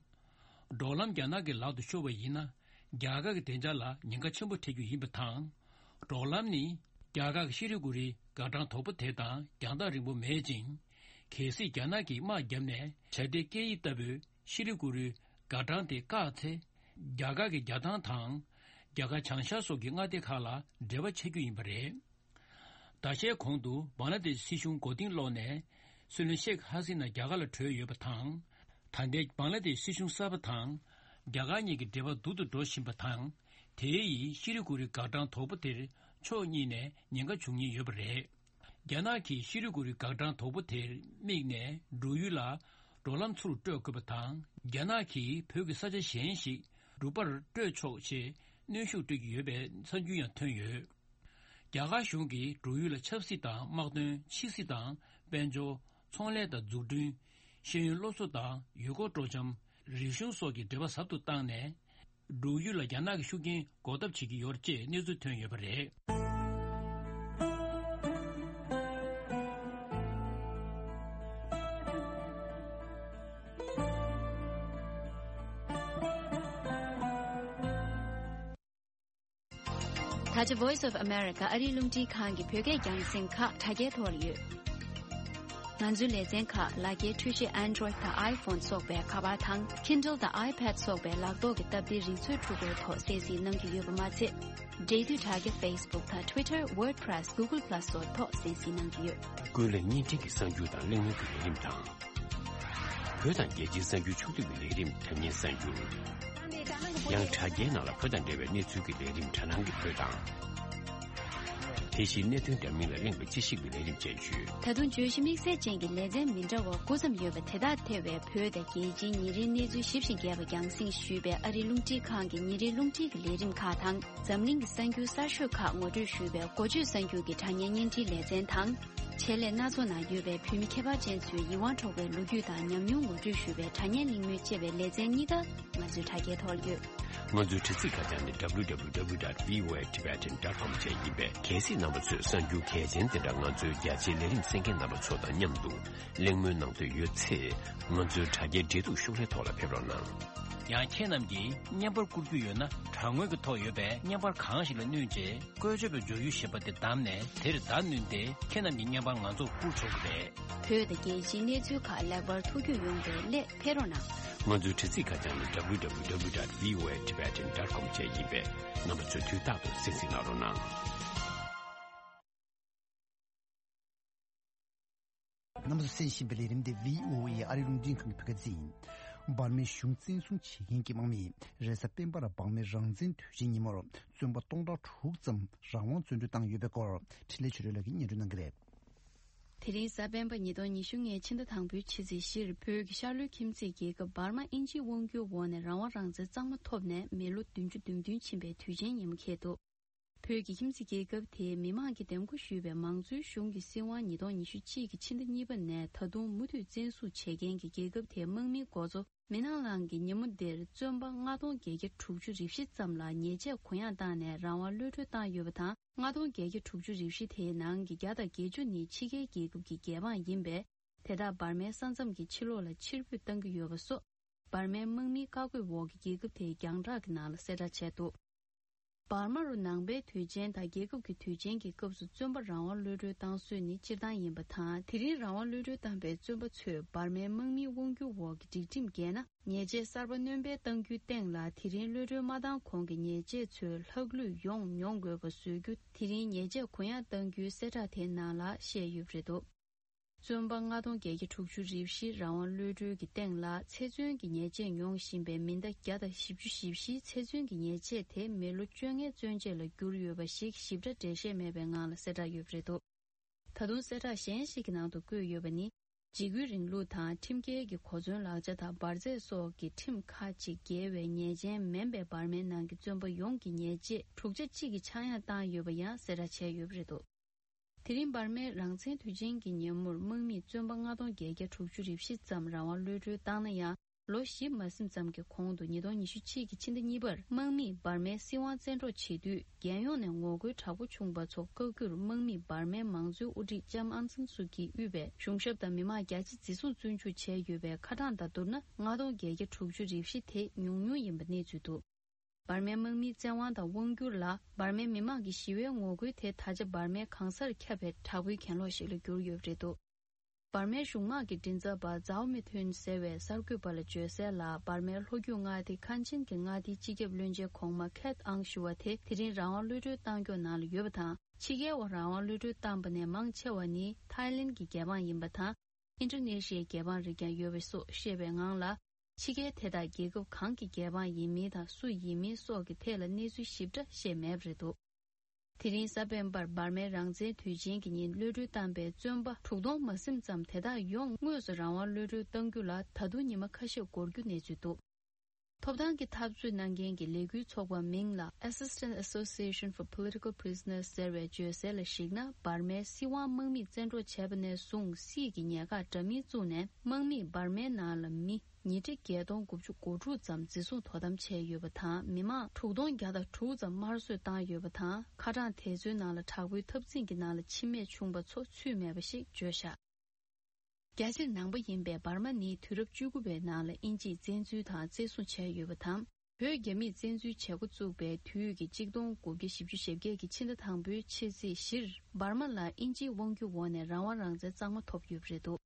འབྲོག་ལམ་རྒྱ་ནག་གི་ལག་ཏུ་ཤོར་བ་ཡིན་ན། རྒྱ་གར་གྱི་བདེ་འཇགས་ལ་ཉེན་ཁ་ཆེན་པོ་འཕྲད་རྒྱུ་ཡིན་པ་དང་། འབྲོག་ལམ་ནི་རྒྱ་གར་གྱི་ཤྲི་གུ་རི་འགག་འཕྲང་དོག་པོ་དེ་དང་རྒྱང་ཐག་རིང་པོ་མེད་ཅིང་། གལ་སྲིད་རྒྱ་ནག་གིས་དམག་བརྒྱབ་ནས་བྱ་དེ་སྐད་ཡིག་ལྟ་བུའི་ཤྲི་གུ་རི་འགག་འཕྲང་དེ་བཀག་ཚེ། རྒྱ་གར་གྱི་རྒྱ་ཐང་དང་། རྒྱ་གར་བྱང་ཤར་སོགས་ཀྱི་མངའ་སྡེ་ཁག་ལ་འབྲེལ་བ་ཆད་རྒྱུ་ཡིན་པ་རེད། ཟླ་ཤས་གོང་དུ་བང་ལ་དེ་ཤི་སྲིད་གཞུང་མགོ་རྟིང་སློག་ནས། སྲིད་བློན་ཤེག་ཧ་སི་ན་རྒྱ་གར་ལ་བྲོས་ཡོད་པ་དང་། ད་ལྟའི་བང་ལ་དེ་ཤི་སྲིད་གཞུང་གསར་པ་དང་། རྒྱ་གར་གཉིས་ཀྱི་འབྲེལ་བ་སྡུག་ཏུ་འགྲོ་བཞིན་པ་དང་། དེ་ཡིས་ཤི་རི་གུ་རི་འགག་འཕྲང་དོག་པོ་དེར་ཕྱོགས་གཉིས་ནས་ཉེན་ཁ་འབྱུང་ཉེན་ཡོད་པ་རེད། རྒྱ་ནག་གིས་ཤི་རི་གུ་རི་འགག་འཕྲང་དོག་པོ་དེར་དམིགས་ནས་འབྲུག་ཡུལ་ལ་འབྲོག་ལམ་ཚུར་སྤྲོད་དགོས་པ་དང་། རྒྱ་ནག་གིས་བོད་ཀྱི་ས་ཆ་གཞན་ཞིག་འབྲུག་པར་སྤྲོད་ཆོག་ཅེས་གནོན་ཤུགས་སྤྲོད་ཀྱི་ཡོད་པའི་གསར་འགྱུར་ཡང་ཐོན་ཡོད། རྒྱ་གར་གཞུང་གིས་འབྲུག་ཡུལ་ལ་ཆབ་སྲིད་དང་དམག་དོན། ཕྱི་སྲིད་དང་། དཔལ་འབྱོར། ཚོང་ལས་དང་འཛུགས་སྐྲུན། ཤེས་ཡོན་སློབ་གསོ་དང་ཡུལ་སྐོར་སྤྲོ་འཆམ། རིག་གཞུང་སོགས་ཀྱི་འབྲེལ་བ་ཟབ་ཏུ་བཏང་ནས། འབྲུག་ཡུལ་ལ་རྒྱ་ནག་གི་ཤུགས་རྐྱེན་འགོག་ཐབས་བྱེད་ཀྱི་ཡོད་ཅེས་གནས་ཚུལ་ཐོན་ཡོད་པ་རེད། ད་ཆ་Voice of America ཨ་རིའི་རླུང་འཕྲིན་ཁང་གི་བོད་སྐད་རྒྱང་སྲིང་ཁག་དྲ་རྒྱའི་ཐོག་ལ་ཡོད། ང་ཚོའི་ལེ་ཚན་ཁག་ལག་འཁྱེར་འཕྲུལ་ཆས་Android དང་iPhone སོགས་པའི་ཁ་པར་དང་Kindle དང་iPad སོགས་པའི་ལག་ཐོག་གི་སྟབས་བདེའི་རིག་མཛོད་འཕྲུལ་འཁོར་ཐོག་གསན་གཟིགས་གནང་རྒྱུ་ཡོད་པ་མ་ཚད། འབྲེལ་མཐུད་དྲ་རྒྱ་Facebook དང་Twitter WordPress Google Plus སོགས་ཐོག་གསན་གཟིགས་གནང་རྒྱུ་ཡོད། ཀུན་གླེང་བརྙན་འཕྲིན་གྱི་གསར་འགྱུར་དང་གླེང་མོལ་གྱི་ལས་རིམ་དང་། བོད་དང་རྒྱལ་སྤྱིའི་གསར་འགྱུར་ཕྱོགས་བསྡུས་ཀྱི་ལས་རིམ་དྲ་བརྙན་གསར་འགྱུར། ཡང་དྲ་རྒྱའི་ནང་ལ་བོད་དང་འབྲེལ་བའི་གནས་ཚུལ་གྱི་ལས་རིམ་དྲ་སྣང་གི་བོད་དང་། དེ་བཞིན་གནད་དོན་འདྲ་མིན་ལ་གླེང་བའི་དཔྱད་ཞིབ་ཀྱི་ལས་རིམ་བཅས་ཡོད། ད་དུང་བརྗོད་གཞི་དམིགས་བསལ་ཅན་གྱི་ལེ་ཚན་མི་འདྲ་བ་དགུ་ཙམ་ཡོད་པ་དེ་དག་ཐེ་བའི་བོད་དང་རྒྱལ་སྤྱིའི་ཉིན་རེའི་གནས་ཚུལ་ཞིབ་ཅིང་རྒྱས་པ་རྒྱང་སྲིང་ཞུས་པའི་ཨ་རིའི་རླུང་འཕྲིན་ཁང་གི་ཉིན་རེའི་རླུང་འཕྲིན་གྱི་ལས་རིམ་ཁག་དང་། འཛམ་གླིང་གི་གསར་འགྱུར་གསར་ཤོས་ཁག་ངོ་སྤྲོད་ཞུས་པའི་འགོ་བརྗོད་གསར་འགྱུར་གྱི་དྲ་བརྙན་བརྙན་འཕྲིན་ལེ་ཚན་དང་། ཆེད་ལས་སྣ་ཚོགས་ནང་ཡོད་པའི་བོད་མི་ཁྱད་པར་ཅན་ཚོའི་ཡིད་དབང་འཕྲོག་པའི་ལོ་རྒྱུས་དང་ཉམས་མྱོང་ངོ་སྤྲོད་ཞུས་པའི་དྲ་བརྙན་གླེང་མོལ་བཅས་པའི་ལེ་ཚན་གཉིས་ཀ་ང་ཚོའི་དྲ་རྒྱའི་ཐོག་ཡོད། ང་ཚོའི་དྲ་ཚིགས་ཁ་བྱང་ནི་W W W dot V O A Tibetan dot com བཅས་ཡིན་པས། གལ་སྲིད་རྣམ་པ་ཚོས་གསར་འགྱུར་གལ་ཆེན་དེ་འདྲ་ང་ཚོའི་རྒྱ་ཆེའི་ལས་རིམ་གསན་མཁན་རྣམ་པ་ཚོ་དང་མཉམ་དུ་གླེང་མོལ་གནང་འདོད་ཡོད་ཚེ། ང་ཚོའི་དྲ་རྒྱའི་འབྲེལ་གཏུག་ཤོག་ལྷེ་ཐོག་ལ་ཕེབས་རོགས་གནང་། ཡང་ཁྱེད་རྣམས་ཀྱིས་བརྙན་པར་བསྐུར་རྒྱུ་ཡོད་ན། དྲ་ངོས་ཀྱི་ཐོག་ཡོད་པའི་བརྙན་པར་གང་ཞིག་ལ་བསྣུན་རྗེས། བཀོལ་སྤྱོད་པའི་སྦྱོར་ཡུལ་ཞེས་པ་དེ་བདམས་ནས། དེར་བརྡ་བསྣུན་ཏེ་ཁྱེད་རྣམས་ཀྱི་བརྙན་པར་ང་ཚོར་བསྐུར་ཆོག་གི་རེད། བོད་དང་རྒྱལ་སྤྱིའི་གནས་ཚུལ་ཁག་ལེགས་པར་ཐུགས་རྒྱུས་ཡོང་བའི་སླད་ཕེབས་རོགས་གནང་། ང་ཚོའི་དྲ་ཚིགས་ཁ་བྱང་ནི་W W W dot V O A Tibetan dot com བཅས་ཡིན་པས། རྣམ་པ་ཚོས་དུས་རྟག་ཏུ་གསན་གཟིགས་གནང་རོགས་གནང་། རྣམ་པ་ཚོས་གསན་བཞིན་པའི་ལས་རིམ་དེ་V O A ཨ་རིའི་རླུང་འཕྲིན་ཁང་གི་བོད་སྐད་སྡེ་ཚན་ཡིན། འབར་མའི་གཞུང་བཙན་བཟུང་བྱེད་མཁན་གྱི་དམག་མིས་རེས་གཟའ་སྤེན་པ་ལ་འབར་མའི་རང་བཙན་དུས་ཆེན་ཉིན་མོར་བཙོན་པ་སྟོང་ཕྲག་དྲུག་ཙམ་རང་དབང་བཙོན་གྲོལ་བཏང་ཡོད་པའི་སྐོར་འཕྲིན་ལས་ཆོས་སྒྲོན་ལགས་ཀྱིས་སྙན་སྒྲོན་གནང་གི་རེད། དེ་རིང་གཟའ་སྤེན་པ་ཉིས་སྟོང་ཉི་ཤུ་ལྔའི་ཕྱི་ཟླ་དང་པོའི་ཕྱི་ཚེས་བཞིར་བོད་ཀྱི་ཤར་ལྷོའི་ཁྱིམ་མཚེས་རྒྱལ་ཁབ་འབར་མ་ཨིན་ཇིའི་དབང་སྒྱུར་འོག་ནས་རང་དབང་རང་བཙན་གཙང་མ་ཐོབ་ནས་མི་ལོ་བདུན་ཅུ་དོན་བདུན་ཕྱིན་པའི་དུས་ཆེན་ཉིན་མོ་འཁེལ་འདུག་བོད་ཀྱི་ཁྱིམ་མཚེས་རྒྱལ་ཁབ་དེའི་མི་མང་གིས་འདེམས་བསྐོ་ཞུས་པའི་མང་གཙོའི་གཞུང་གི་སྲིད་དབང་ཉིས་སྟོང་ཉི་ཤུ་གཅིག་གི་ཕྱི་ཟླ་གཉིས་པ་ནས་ད་དུང་མུ་མཐུད་བཙན་བཟུང་བྱེད་མཁན་གྱི་རྒྱལ་ཁབ་དེའི་དམག་མིའི་འགོ་གཙོ་མི་ནག་ལང་གིས་ཉིན་མོ་འདིར་བཙོན་པ་ལྔ་སྟོང་བརྒྱད་བརྒྱ་དྲུག་ཅུ་རེ་བཞི་ཙམ་ལ་ཉེས་ཆད་གུ་ཡངས་བཏང་ནས་རང་དབང་གློད་གྲོལ་བཏང་ཡོད་པ་དང་། ལྔ་སྟོང་བརྒྱད་བརྒྱ་དྲུག་ཅུ་རེ་བཞི་དེའི་ནང་གི་བརྒྱ་དང་བརྒྱད་ཅུ་ནི་ཕྱི་རྒྱལ་རྒྱལ་ཁབ་ཀྱི་རྒྱལ་འབངས་ཡིན་པས། དེ་དག་འབར་མའི་ས་མཚམས་ཀྱི་ཕྱི་ལོགས་ལ་ཕྱིར་འབུད་གཏང་གི་ཡོད་པ་སོགས། འབར་མའི་དམག་མིའི་བཀའ་བཀོད་འོག་གི་རྒྱལ་ཁབ་དེའི་རྒྱང་བསྒྲགས་ཀྱི་ནང་ལ་གསལ་བསྒྲགས་བྱས་འདུག་འབར་མ་རུ་ནང་པའི་དུས་ཆེན་དང་རྒྱལ་ཁབ་ཀྱི་དུས་ཆེན་གྱི་སྐབས་སུ་བཙོན་པ་རང་དབང་གློད་གྲོལ་བཏང་སྲོལ་ནི་སྤྱིར་བཏང་ཡིན་པ་དང་། དེ་རིང་རང་དབང་གློད་གྲོལ་བཏང་པའི་བཙོན་པ་ཚོས་འབར་མའི་དམག་མིའི་དབང་སྒྱུར་འོག་གི་སྒྲིག་ཁྲིམས་འགལ་ན། ཉེས་ཆད་གསར་པ་སྣོན་སྤེལ་གཏང་རྒྱུའི་སྟེང་ལ། དེ་རིང་གློད་གྲོལ་མ་བཏང་གོང་གི་ཉེས་ཆད་ཚོའི་ལྷག་ལུས་ཡོང་མྱོང་དགོས་པ་བཟོ་རྒྱུ། དེ་རིང་ཉེས་ཆད་གུ་ཡངས་གཏང་རྒྱུའི་གསལ་བསྒྲགས་དེའི་ནང་ལ་བཤད་ཡོད་པ་རེད་འདུག་བཙོན་པ་ལྔ་སྟོང་བརྒྱད་བརྒྱ་དྲུག་ཅུ་རེ་བཞི་རང་དབང་གློད་གྲོལ་གྱི་སྟེང་ལ། ཚེ་བཙོན་གྱི་ཉེས་ཆད་མྱོང་བཞིན་པའི་མི་ཟླ་བརྒྱ་དང་བཞི་བཅུ་ཞེ་བཞིའི་ཚེ་བཙོན་གྱི་ཉེས་ཆད་དེ་མི་ལོ་བཅོ་ལྔའི་བཙོན་ཆད་ལ་གྱུར་ཡོད་པ་ཞིག་ཞིབ་ཕྲ་འགྲེལ་བཤད་མེད་པའི་ངང་ལ་གསལ་བསྒྲགས་ཡོད་པ་རེད་འདུག་ད་དུང་གསལ་བསྒྲགས་གཞན་ཞིག་གི་ནང་དུ་བཀོད་ཡོད་པ་ནི། འཇིགས་སྐུལ་རིང་ལུགས་དང་ཁྲིམས་འགལ་གྱི་གོ་མཚོན་ལག་ཆ་དང་འབར་རྫས་སོགས་ཀྱི་ཁྲིམས་ཁག་ཅིག་འགལ་བའི་ཉེས་ཅན་མིན་པའི་འབར་མའི་ནང་གི་བཙོན་པ་ཡོངས་ཀྱི་ཉེས་ཆད་དྲུག་ཆ་གཅིག་གི་ཆག་ཡང་བཏང་ཡོད་པ་ཡང་གསལ་བསྒྲགས་བྱས་ཡོད་པ་རེད་འདུག་དེ་རིང་འབར་མའི་རང་བཙན་དུས་ཆེན་གྱི་ཉིན་མོར་དམག་མིས་བཙོན་པ་ལྔ་སྟོང་བརྒྱད་བརྒྱ་དྲུག་ཅུ་རེ་བཞི་ཙམ་རང་དབང་གློད་གྲོལ་བཏང་ན་ཡང་། ལོ་བཞི་མ་ཟིན་ཙམ་གྱི་གོང་དུ་ཉིས་སྟོང་ཉི་ཤུ་གཅིག་གི་ཕྱི་ཟླ་གཉིས་པར་དམག་མིས་འབར་མའི་སྲིད་དབང་བཙན་འཕྲོག་བྱེད་དུས། རྒྱལ་ཡོངས་ནས་ངོ་རྒོལ་དྲག་པོ་བྱུང་བ་ཚོ་བཀག་རྒྱུར་དམག་མིས་འབར་མའི་མང་གཙོའི་དབུ་ཁྲིད་ལྕམ་ཨང་སན་སུའུ་ཀྱིས་དབུས་པའི་གཞུང་ཞབས་དང་མི་མང་བརྒྱ་ཆ་འཛིན་བཟུང་བཙོན་འཇུག་བྱས་ཡོད་པའི་ཁ་གྲངས་དང་བསྡུར་ན། ལྔ་སྟོང་བརྒྱད་བརྒྱ་དྲུག་ཅུ་རེ་བཞི་དེ་ཉུང་ཉུང་ཡིན་པ་གནས་ཚུལ་འདུག་འབར་མའི་དམག་མིའི་བཙན་དབང་དང་དབང་བསྒྱུར་ལ་འབར་མའི་མི་མང་གི་ཞི་བའི་ངོ་རྒོལ་དེ་ད་ཆ་འབར་མའི་གང་སར་ཁྱབ་པའི་དྲག་པོའི་གྱེན་ལོག་ཞིག་ལ་གྱུར་ཡོད་པ་རེད་འདུག་འབར་མའི་གཞུང་དམག་གི་མགྲིན་ཚབ་པ་ཛའོ་མི་ཐུན་ཟེར་བས་གསར་འགོད་པ་ལ་བརྗོད་གསལ་ལ། འབར་མའི་ལྷོ་རྒྱུད་མངའ་སྡེ་ཁན་ཆིན་གྱི་མངའ་སྡེའི་སྤྱི་ཁྱབ་བློན་ཆེན་གོང་མ་ཁེད་ཨང་ཞུ་བ་དེ་དེ་རིང་རང་དབང་གློད་གྲོལ་བཏང་སྐྱོང་ནང་ལ་ཡོད་པ་དང་། ཕྱི་རྒྱལ་བ་རང་དབང་གློད་གྲོལ་བཏང་པ་ནས་མང་ཆེ་བ་ནི་ཐའི་ལེན་གྱི་རྒྱལ་འབངས་ཡིན་པ་དང་། ཨིན་ཌོ་ནེ་ཤི་ཡའི་རྒྱལ་འབངས་རིགས་ཀྱང་ཡོད་པ་སོགས་བཤད་པའི་ངང་ལ། ཕྱི་རྒྱལ་དེ་དག་རྒྱལ་ཁབ་གང་གི་རྒྱལ་འབངས་ཡིན་མིན་དང་སུ་ཡིན་མིན་སོགས་ཀྱི་ཐད་ལ་གནས་ཚུལ་ཞིབ་ཕྲ་བཤད་མེད་པ་རེད་འདུག་དེ་རིང་གཟའ་སྤེན་པར་འབར་མའི་རང་བཙན་དུས་ཆེན་གྱི་ཉིན་གློད་གྲོལ་བཏང་པའི་བཙོན་པ་དྲུག་སྟོང་མ་ཟིན་ཙམ་དེ་དག་ཡོངས་དངོས་སུ་རང་དབང་གློད་གྲོལ་གཏང་རྒྱུ་ལ་ད་དུང་ཉི་མ་ཁ་ཤས་འགོར་རྒྱུ་གནས་ཚུལ་འདུག་ཐོབ་ཐང་གི་འཐབ་རྩོད་གནང་མཁན་གྱི་ལས་འགུལ་ཚོགས་པ་མིང་ལ་Assistance Association for Political Prisoners ཟེར་བས་བརྗོད་གསལ་ལ་གཞིགས་ན། འབར་མའི་སྲིད་དབང་དམག་མིས་བཙན་འཕྲོག་བྱས་པ་ནས་བཟུང་སྲིད་ཀྱི་ཉེན་ཁ་འདྲ་མིན་བཙུགས་ནས། དམག་མིས་འབར་མའི་ནང་ལ་མི་ཉིས་ཁྲི་བརྒྱད་སྟོང་དགུ་བཅུ་གོ་དྲུག་ཙམ་འཛིན་བཟུང་དོ་དམ་བྱས་ཡོད་པ་དང་། མི་མང་དྲུག་སྟོང་བརྒྱ་དང་དྲུག་ཙམ་དམར་གསོད་བཏང་ཡོད་པ་དང་། ཁ་གྲངས་དེ་ཚོའི་ནང་ལ་དྲག་པོའི་འཐབ་འཛིང་གི་ནང་ལ་འཆི་རྨས་བྱུང་བ་ཚོ་ཚུད་མེད་པ་ཞིག་བརྗོད་བཞག་རྒྱལ་སྤྱིར་ནང་པ་ཡིན་པའི་འབར་མ་ནི་དུས་རབས་བཅུ་དགུ་པའི་ནང་ལ་དབྱིན་ཇིས་བཙན་འཛུལ་དང་བཙན་བཟུང་བྱས་ཡོད་པ་དང་། བོད་རྒྱ་མིས་བཙན་འཛུལ་བྱེད་འགོ་བཙུགས་པའི་དུས་ཀྱི་གཅིག་སྟོང་དགུ་བརྒྱ་བཞི་བཅུ་ཞེ་བརྒྱད་ཀྱི་ཕྱི་ཟླ་དང་པོའི་ཕྱི་ཚེས་བཞིར་འབར་མ་ལ་དབྱིན་ཇིའི་དབང་སྒྱུར་འོག་ནས་རང་དབང་རང་བཙན་གཙང་མ་ཐོབ་ཡོད་པ་རེད་འདུག་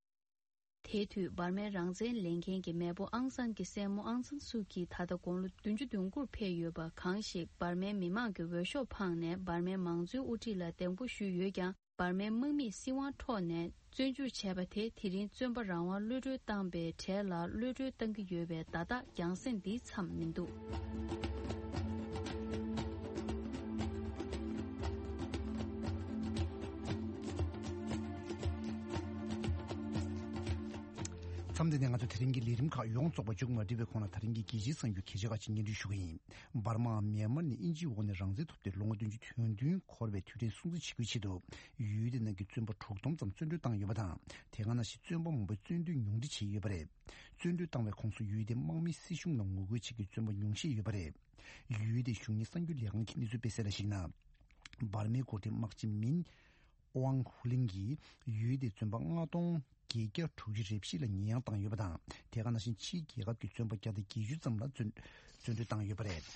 དེའི་དུས་འབར་མའི་རང་བཙན་ལེན་མཁན་གྱི་མེས་པོ་ཨང་སན་གྱི་སྲས་མོ་ཨང་སན་སུའུ་ཀི་ད་ལྟ་དགུང་ལོ་བདུན་ཅུ་དོན་དགུར་ཕེབས་ཡོད་པ་གང་ཞིག་འབར་མའི་མི་མང་གི་འོས་ཤོག་འཕངས་ནས་འབར་མའི་མང་གཙོའི་དབུ་ཁྲིད་ལ་གདན་འགོ་ཞུས་ཡོད་ཀྱང་། འབར་མའི་དམག་མིས་སྲིད་དབང་འཕྲོག་ནས་བཙོན་འཇུག་བྱས་པ་དེ་དེ་རིང་བཙོན་པ་རང་དབང་གློད་གྲོལ་བཏང་པའི་གྲས་ལ་གློད་གྲོལ་བཏང་གི་ཡོད་པའི་བརྡ་རྟགས་རྒྱང་སྲིང་འདིའི་མཚམས་མི་འདུག་མཚམས་འདི་ནས་ང་ཚོ་དེ་རིང་གི་ལས་རིམ་ཁག་ཡོངས་རྫོགས་པ་མཇུག་མ་སྒྲིལ་བའི་གོང་ལ། དེ་རིང་གི་རྒྱལ་སྤྱིའི་གསར་འགྱུར་གལ་ཆེ་ཁག་ཅིག་སྙན་སྒྲོན་ཞུ་གི་ཡིན། འབར་མའམ་མྱན་མར་ནི་དབྱིན་ཇིའི་འོག་ནས་རང་བཙན་ཐོབ་སྟེ་ལོ་ངོ་བདུན་ཅུ་དོན་བདུན་འཁོར་བའི་དུས་དྲན་སྲུང་བརྩི་བྱེད་དགོས་ཆེད་དུ། ཡུལ་དེ་ནང་གི་བཙོན་པ་དྲུག་སྟོང་ཙམ་བཙོན་གྲོལ་བཏང་ཡོད་པ་དང་། དེ་ག་ནང་བཞིན་བཙོན་པ་མང་པོས་བཙོན་འདུལ་ཉུང་འཕྲི་བྱས་ཡོད་པ་རེད། བཙོན་གྲོལ་བཏང་བའི་ཁོངས་སུ་ཡུལ་དེའི་དམག་མིའི་སྲིད་གཞུང་ལ་ངོ་རྒོལ་བྱེད་མཁན་བཙོན་པ་ཉུང་ཤས་ཡོད་པ་རེད། ཡུལ་དེའི་གཞུང་གཉེར་གསར་འགྱུར་ལས་ཁང་གིས་གནས་ཚུལ་སྤེལ་གསལ་ལ་གཞིགས་ན། འབར་མའི་འགོ་ཁྲིད་དམག་སྤྱི་མིན་ཨོང་ཧུ་ལིང་གིས་ཡུལ་དེའི་བཙོན་པ་ལྔ་སྟོང་བརྒྱད་བརྒྱ་དྲུག་ཅུ་རེ་བཞི་ལ་ཉེས་ཡངས་བཏང་ཡོད་པ་དང་། དེ་ག་ནང་བཞིན་ཕྱིའི་རྒྱལ་ཁབ་ཀྱི་བཙོན་པ་བརྒྱ་དང་བརྒྱད་ཅུ་ཙམ་ལ་བཙོན་བཙོན་གྲོལ་བཏང་ཡོད་པ་རེད།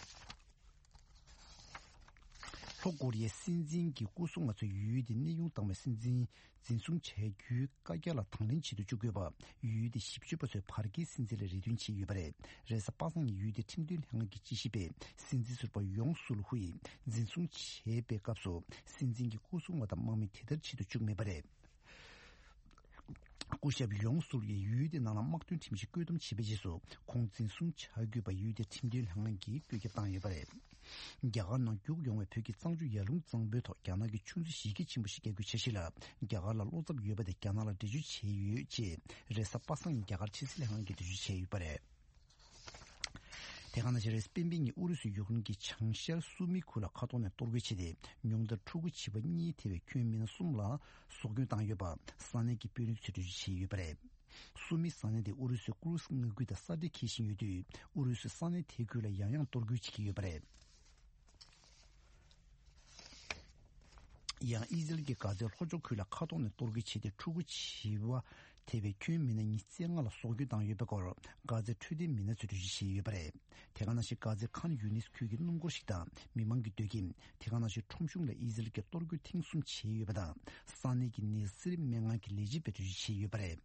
ལྷོ་ཀོ་རི་ཡའི་སྲིད་འཛིན་གྱི་སྐུ་སྲུང་པ་ཚོས་ཡུལ་དེའི་གནས་དབྱུང་བཏང་བའི་སྲིད་འཛིན་འཛིན་བཟུང་བྱ་རྒྱུའི་བཀའ་རྒྱ་ལ་དང་ལེན་བྱེད་དུ་བཅུག་དགོས་པ། ཡུལ་དེའི་ཞིབ་དཔྱོད་པ་ཚོས་བར་བརྒལ་སྲིད་འཛིན་ལ་རེ་འདུན་བྱས་ཡོད་པ་རེད། རེས་གཟའ་པ་སངས་ཉིན་ཡུལ་དེའི་ཁྲིམས་དོན་ལྷན་ཁང་གི་དཔྱད་ཞིབ་པས་སྲིད་འཛིན་ཟུར་པ་ཡོང་སུལ་ཧུ་ཡིས་འཛིན་བཟུང་བྱས་པའི་སྐབས་སུ་སྲིད་འཛིན་གྱི་སྐུ་སྲུང་པ་དང་དམག་མི་དེ་ལྟར་བྱེད་དུ་བཅུག་མེད་པ་རེད། སྐུ་ཞབས་ཡོང་སུལ་ཡིས་ཡུལ་དེ་ནང་ལ་དམག་དོན་ཁྲིམས་གཞི་བཀོད་འདོམས་བྱས་པའི་རྗེས་སུ་ཁོང་འཛིན་བཟུང་བྱ་དགོས་པ་ཡུལ་དེའི་ཁྲིམས་དོན་ལྷན་ཁང་གིས་བཀོད་ཁྱབ་བཏང་ཡོད་པ་རེད། རྒྱ་གར་ནང་རྒྱུགས་ཡོང་བའི་བོད་ཀྱི་གཙང་ཆུ་ཡར་ཀླུང་གཙང་པོའི་ཐོག་རྒྱ་ནག་གིས་ཆུ་མཛོད་གཞི་རྒྱ་ཆེན་པོ་ཞིག་བརྒྱབ་རྒྱུའི་འཆར་གཞི་ལ་རྒྱ་གར་ལ་བློ་འཚབ་ཡོད་པ་དེ་རྒྱ་ནག་ལ་འགྲེལ་བརྗོད་བྱས་ཡོད་ཅེས་རེས་གཟའ་པ་སངས་ཉིན་རྒྱ་གར་ཕྱི་སྲིད་ལྷན་ཁང་གིས་འགྲེལ་བརྗོད་བྱས་ཡོད་པ་རེད། དེ་ག་ནང་བཞིན་རེས་གཟའ་སྤེན་པའི་ཉིན་ཨུ་རུ་སུས་ཡུཀ་རེན་གྱི་བྱང་ཤར་སུ་མི་ཁུལ་ལ་མཁའ་ཐོག་ནས་གཏོར་རྒོལ་བྱས་ཏེ། ཉུང་མཐར་ཕྲུ་གུ་བྱིས་པ་གཉིས་ཐེ་བའི་ཁྱོན་མི་སྣ་གསུམ་ལ་སྲོག་སྐྱོན་བཏང་ཡོད་པ་ས་གནས་ཀྱི་དཔོན་རིགས་ཚོས་འགྲེལ་བརྗོད་བྱས་ཡོད་པ་རེད། སུ་མི་ས་གནས་དེ་ཨུ་རུ་སུའི་ཀུ་རུ་སི་མངའ་ཁུལ་དང་ས་འབྲེལ་འཁེལ་བཞིན་ཡོད་དུས། ཨུ་རུ་སུས་ས་གནས་དེའི་ཁུལ་ལ་ཡང་ཡང་གཏོར་རྒོལ་བྱེད་ཀྱི་ཡོད་པ་རེད། ཡང་ཨི་ཟི་རལ་གྱིས་གྷ་ཛའི་ལྷོ་ཕྱོགས་ཁུལ་ལ་མཁའ་ཐོག་ནས་གཏོར་རྒོལ་བྱས་ཏེ། ཕྲུ་གུ་བྱིས་པ་ཐེ་བའི་ཁྱོན་མི་སྣ་ཉི་ཤུ་རྩ་ལྔ་ལ་སྲོག་སྐྱོན་བཏང་ཡོད་པའི་སྐོར། གྷ་ཛའི་འཕྲོད་བསྟེན་མི་སྣ་ཚོས་འགྲེལ་བརྗོད་བྱས་ཡོད་པ་རེད། དེ་ག་ནང་བཞིན་གྷ་ཛའི་ཁཱན་ཡུ་ནིས་ཁུལ་གྱི་སྣུམ་འཁོར་ཞིག་དང་མི་མང་གི་སྡོད་ཁྱིམ། དེ་ག་ནང་བཞིན་ཁྲོམ་གཞུང་ལ་ཨི་ཟི་རལ་གྱིས་གཏོར་རྒོལ་ཐེངས་གསུམ་བྱས་ཡོད་པ་དང་། ས་གནས་ཀྱི་ནེ་སི་རི་སྨན་ཁང་གི་ལས་བྱེད་པས་འགྲེལ་བརྗོད་བྱས་ཡོད་པ་རེད།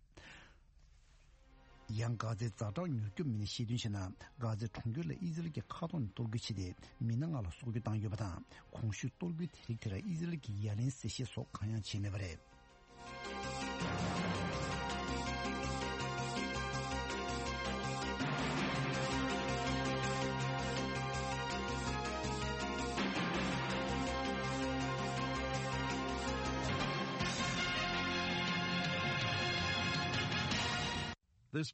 ཡང་གྷ་ཛའི་ཛ་དྲག་མྱུར་སྐྱོབ་མི་སྣས་བཤད་དོན་བྱས་ན། གྷ་ཛའི་གྲོང་ཁྱེར་ལ་ཨི་ཟི་རལ་གྱི་མཁའ་ཐོག་ནས་གཏོར་རྒོལ་བྱས་ཏེ། མི་སྣ་ལྔ་ལ་སྲོག་སྐྱོན་བཏང་ཡོད་པ་དང་། གོང་ཞུས་གཏོར་རྒོལ་དེ་རིགས་དེར་ཨི་ཟི་རལ་གྱིས་ཡ་ལན་གསལ་བཤད་སོགས་གང་ཡང་བྱས་མེད་པ་རེད།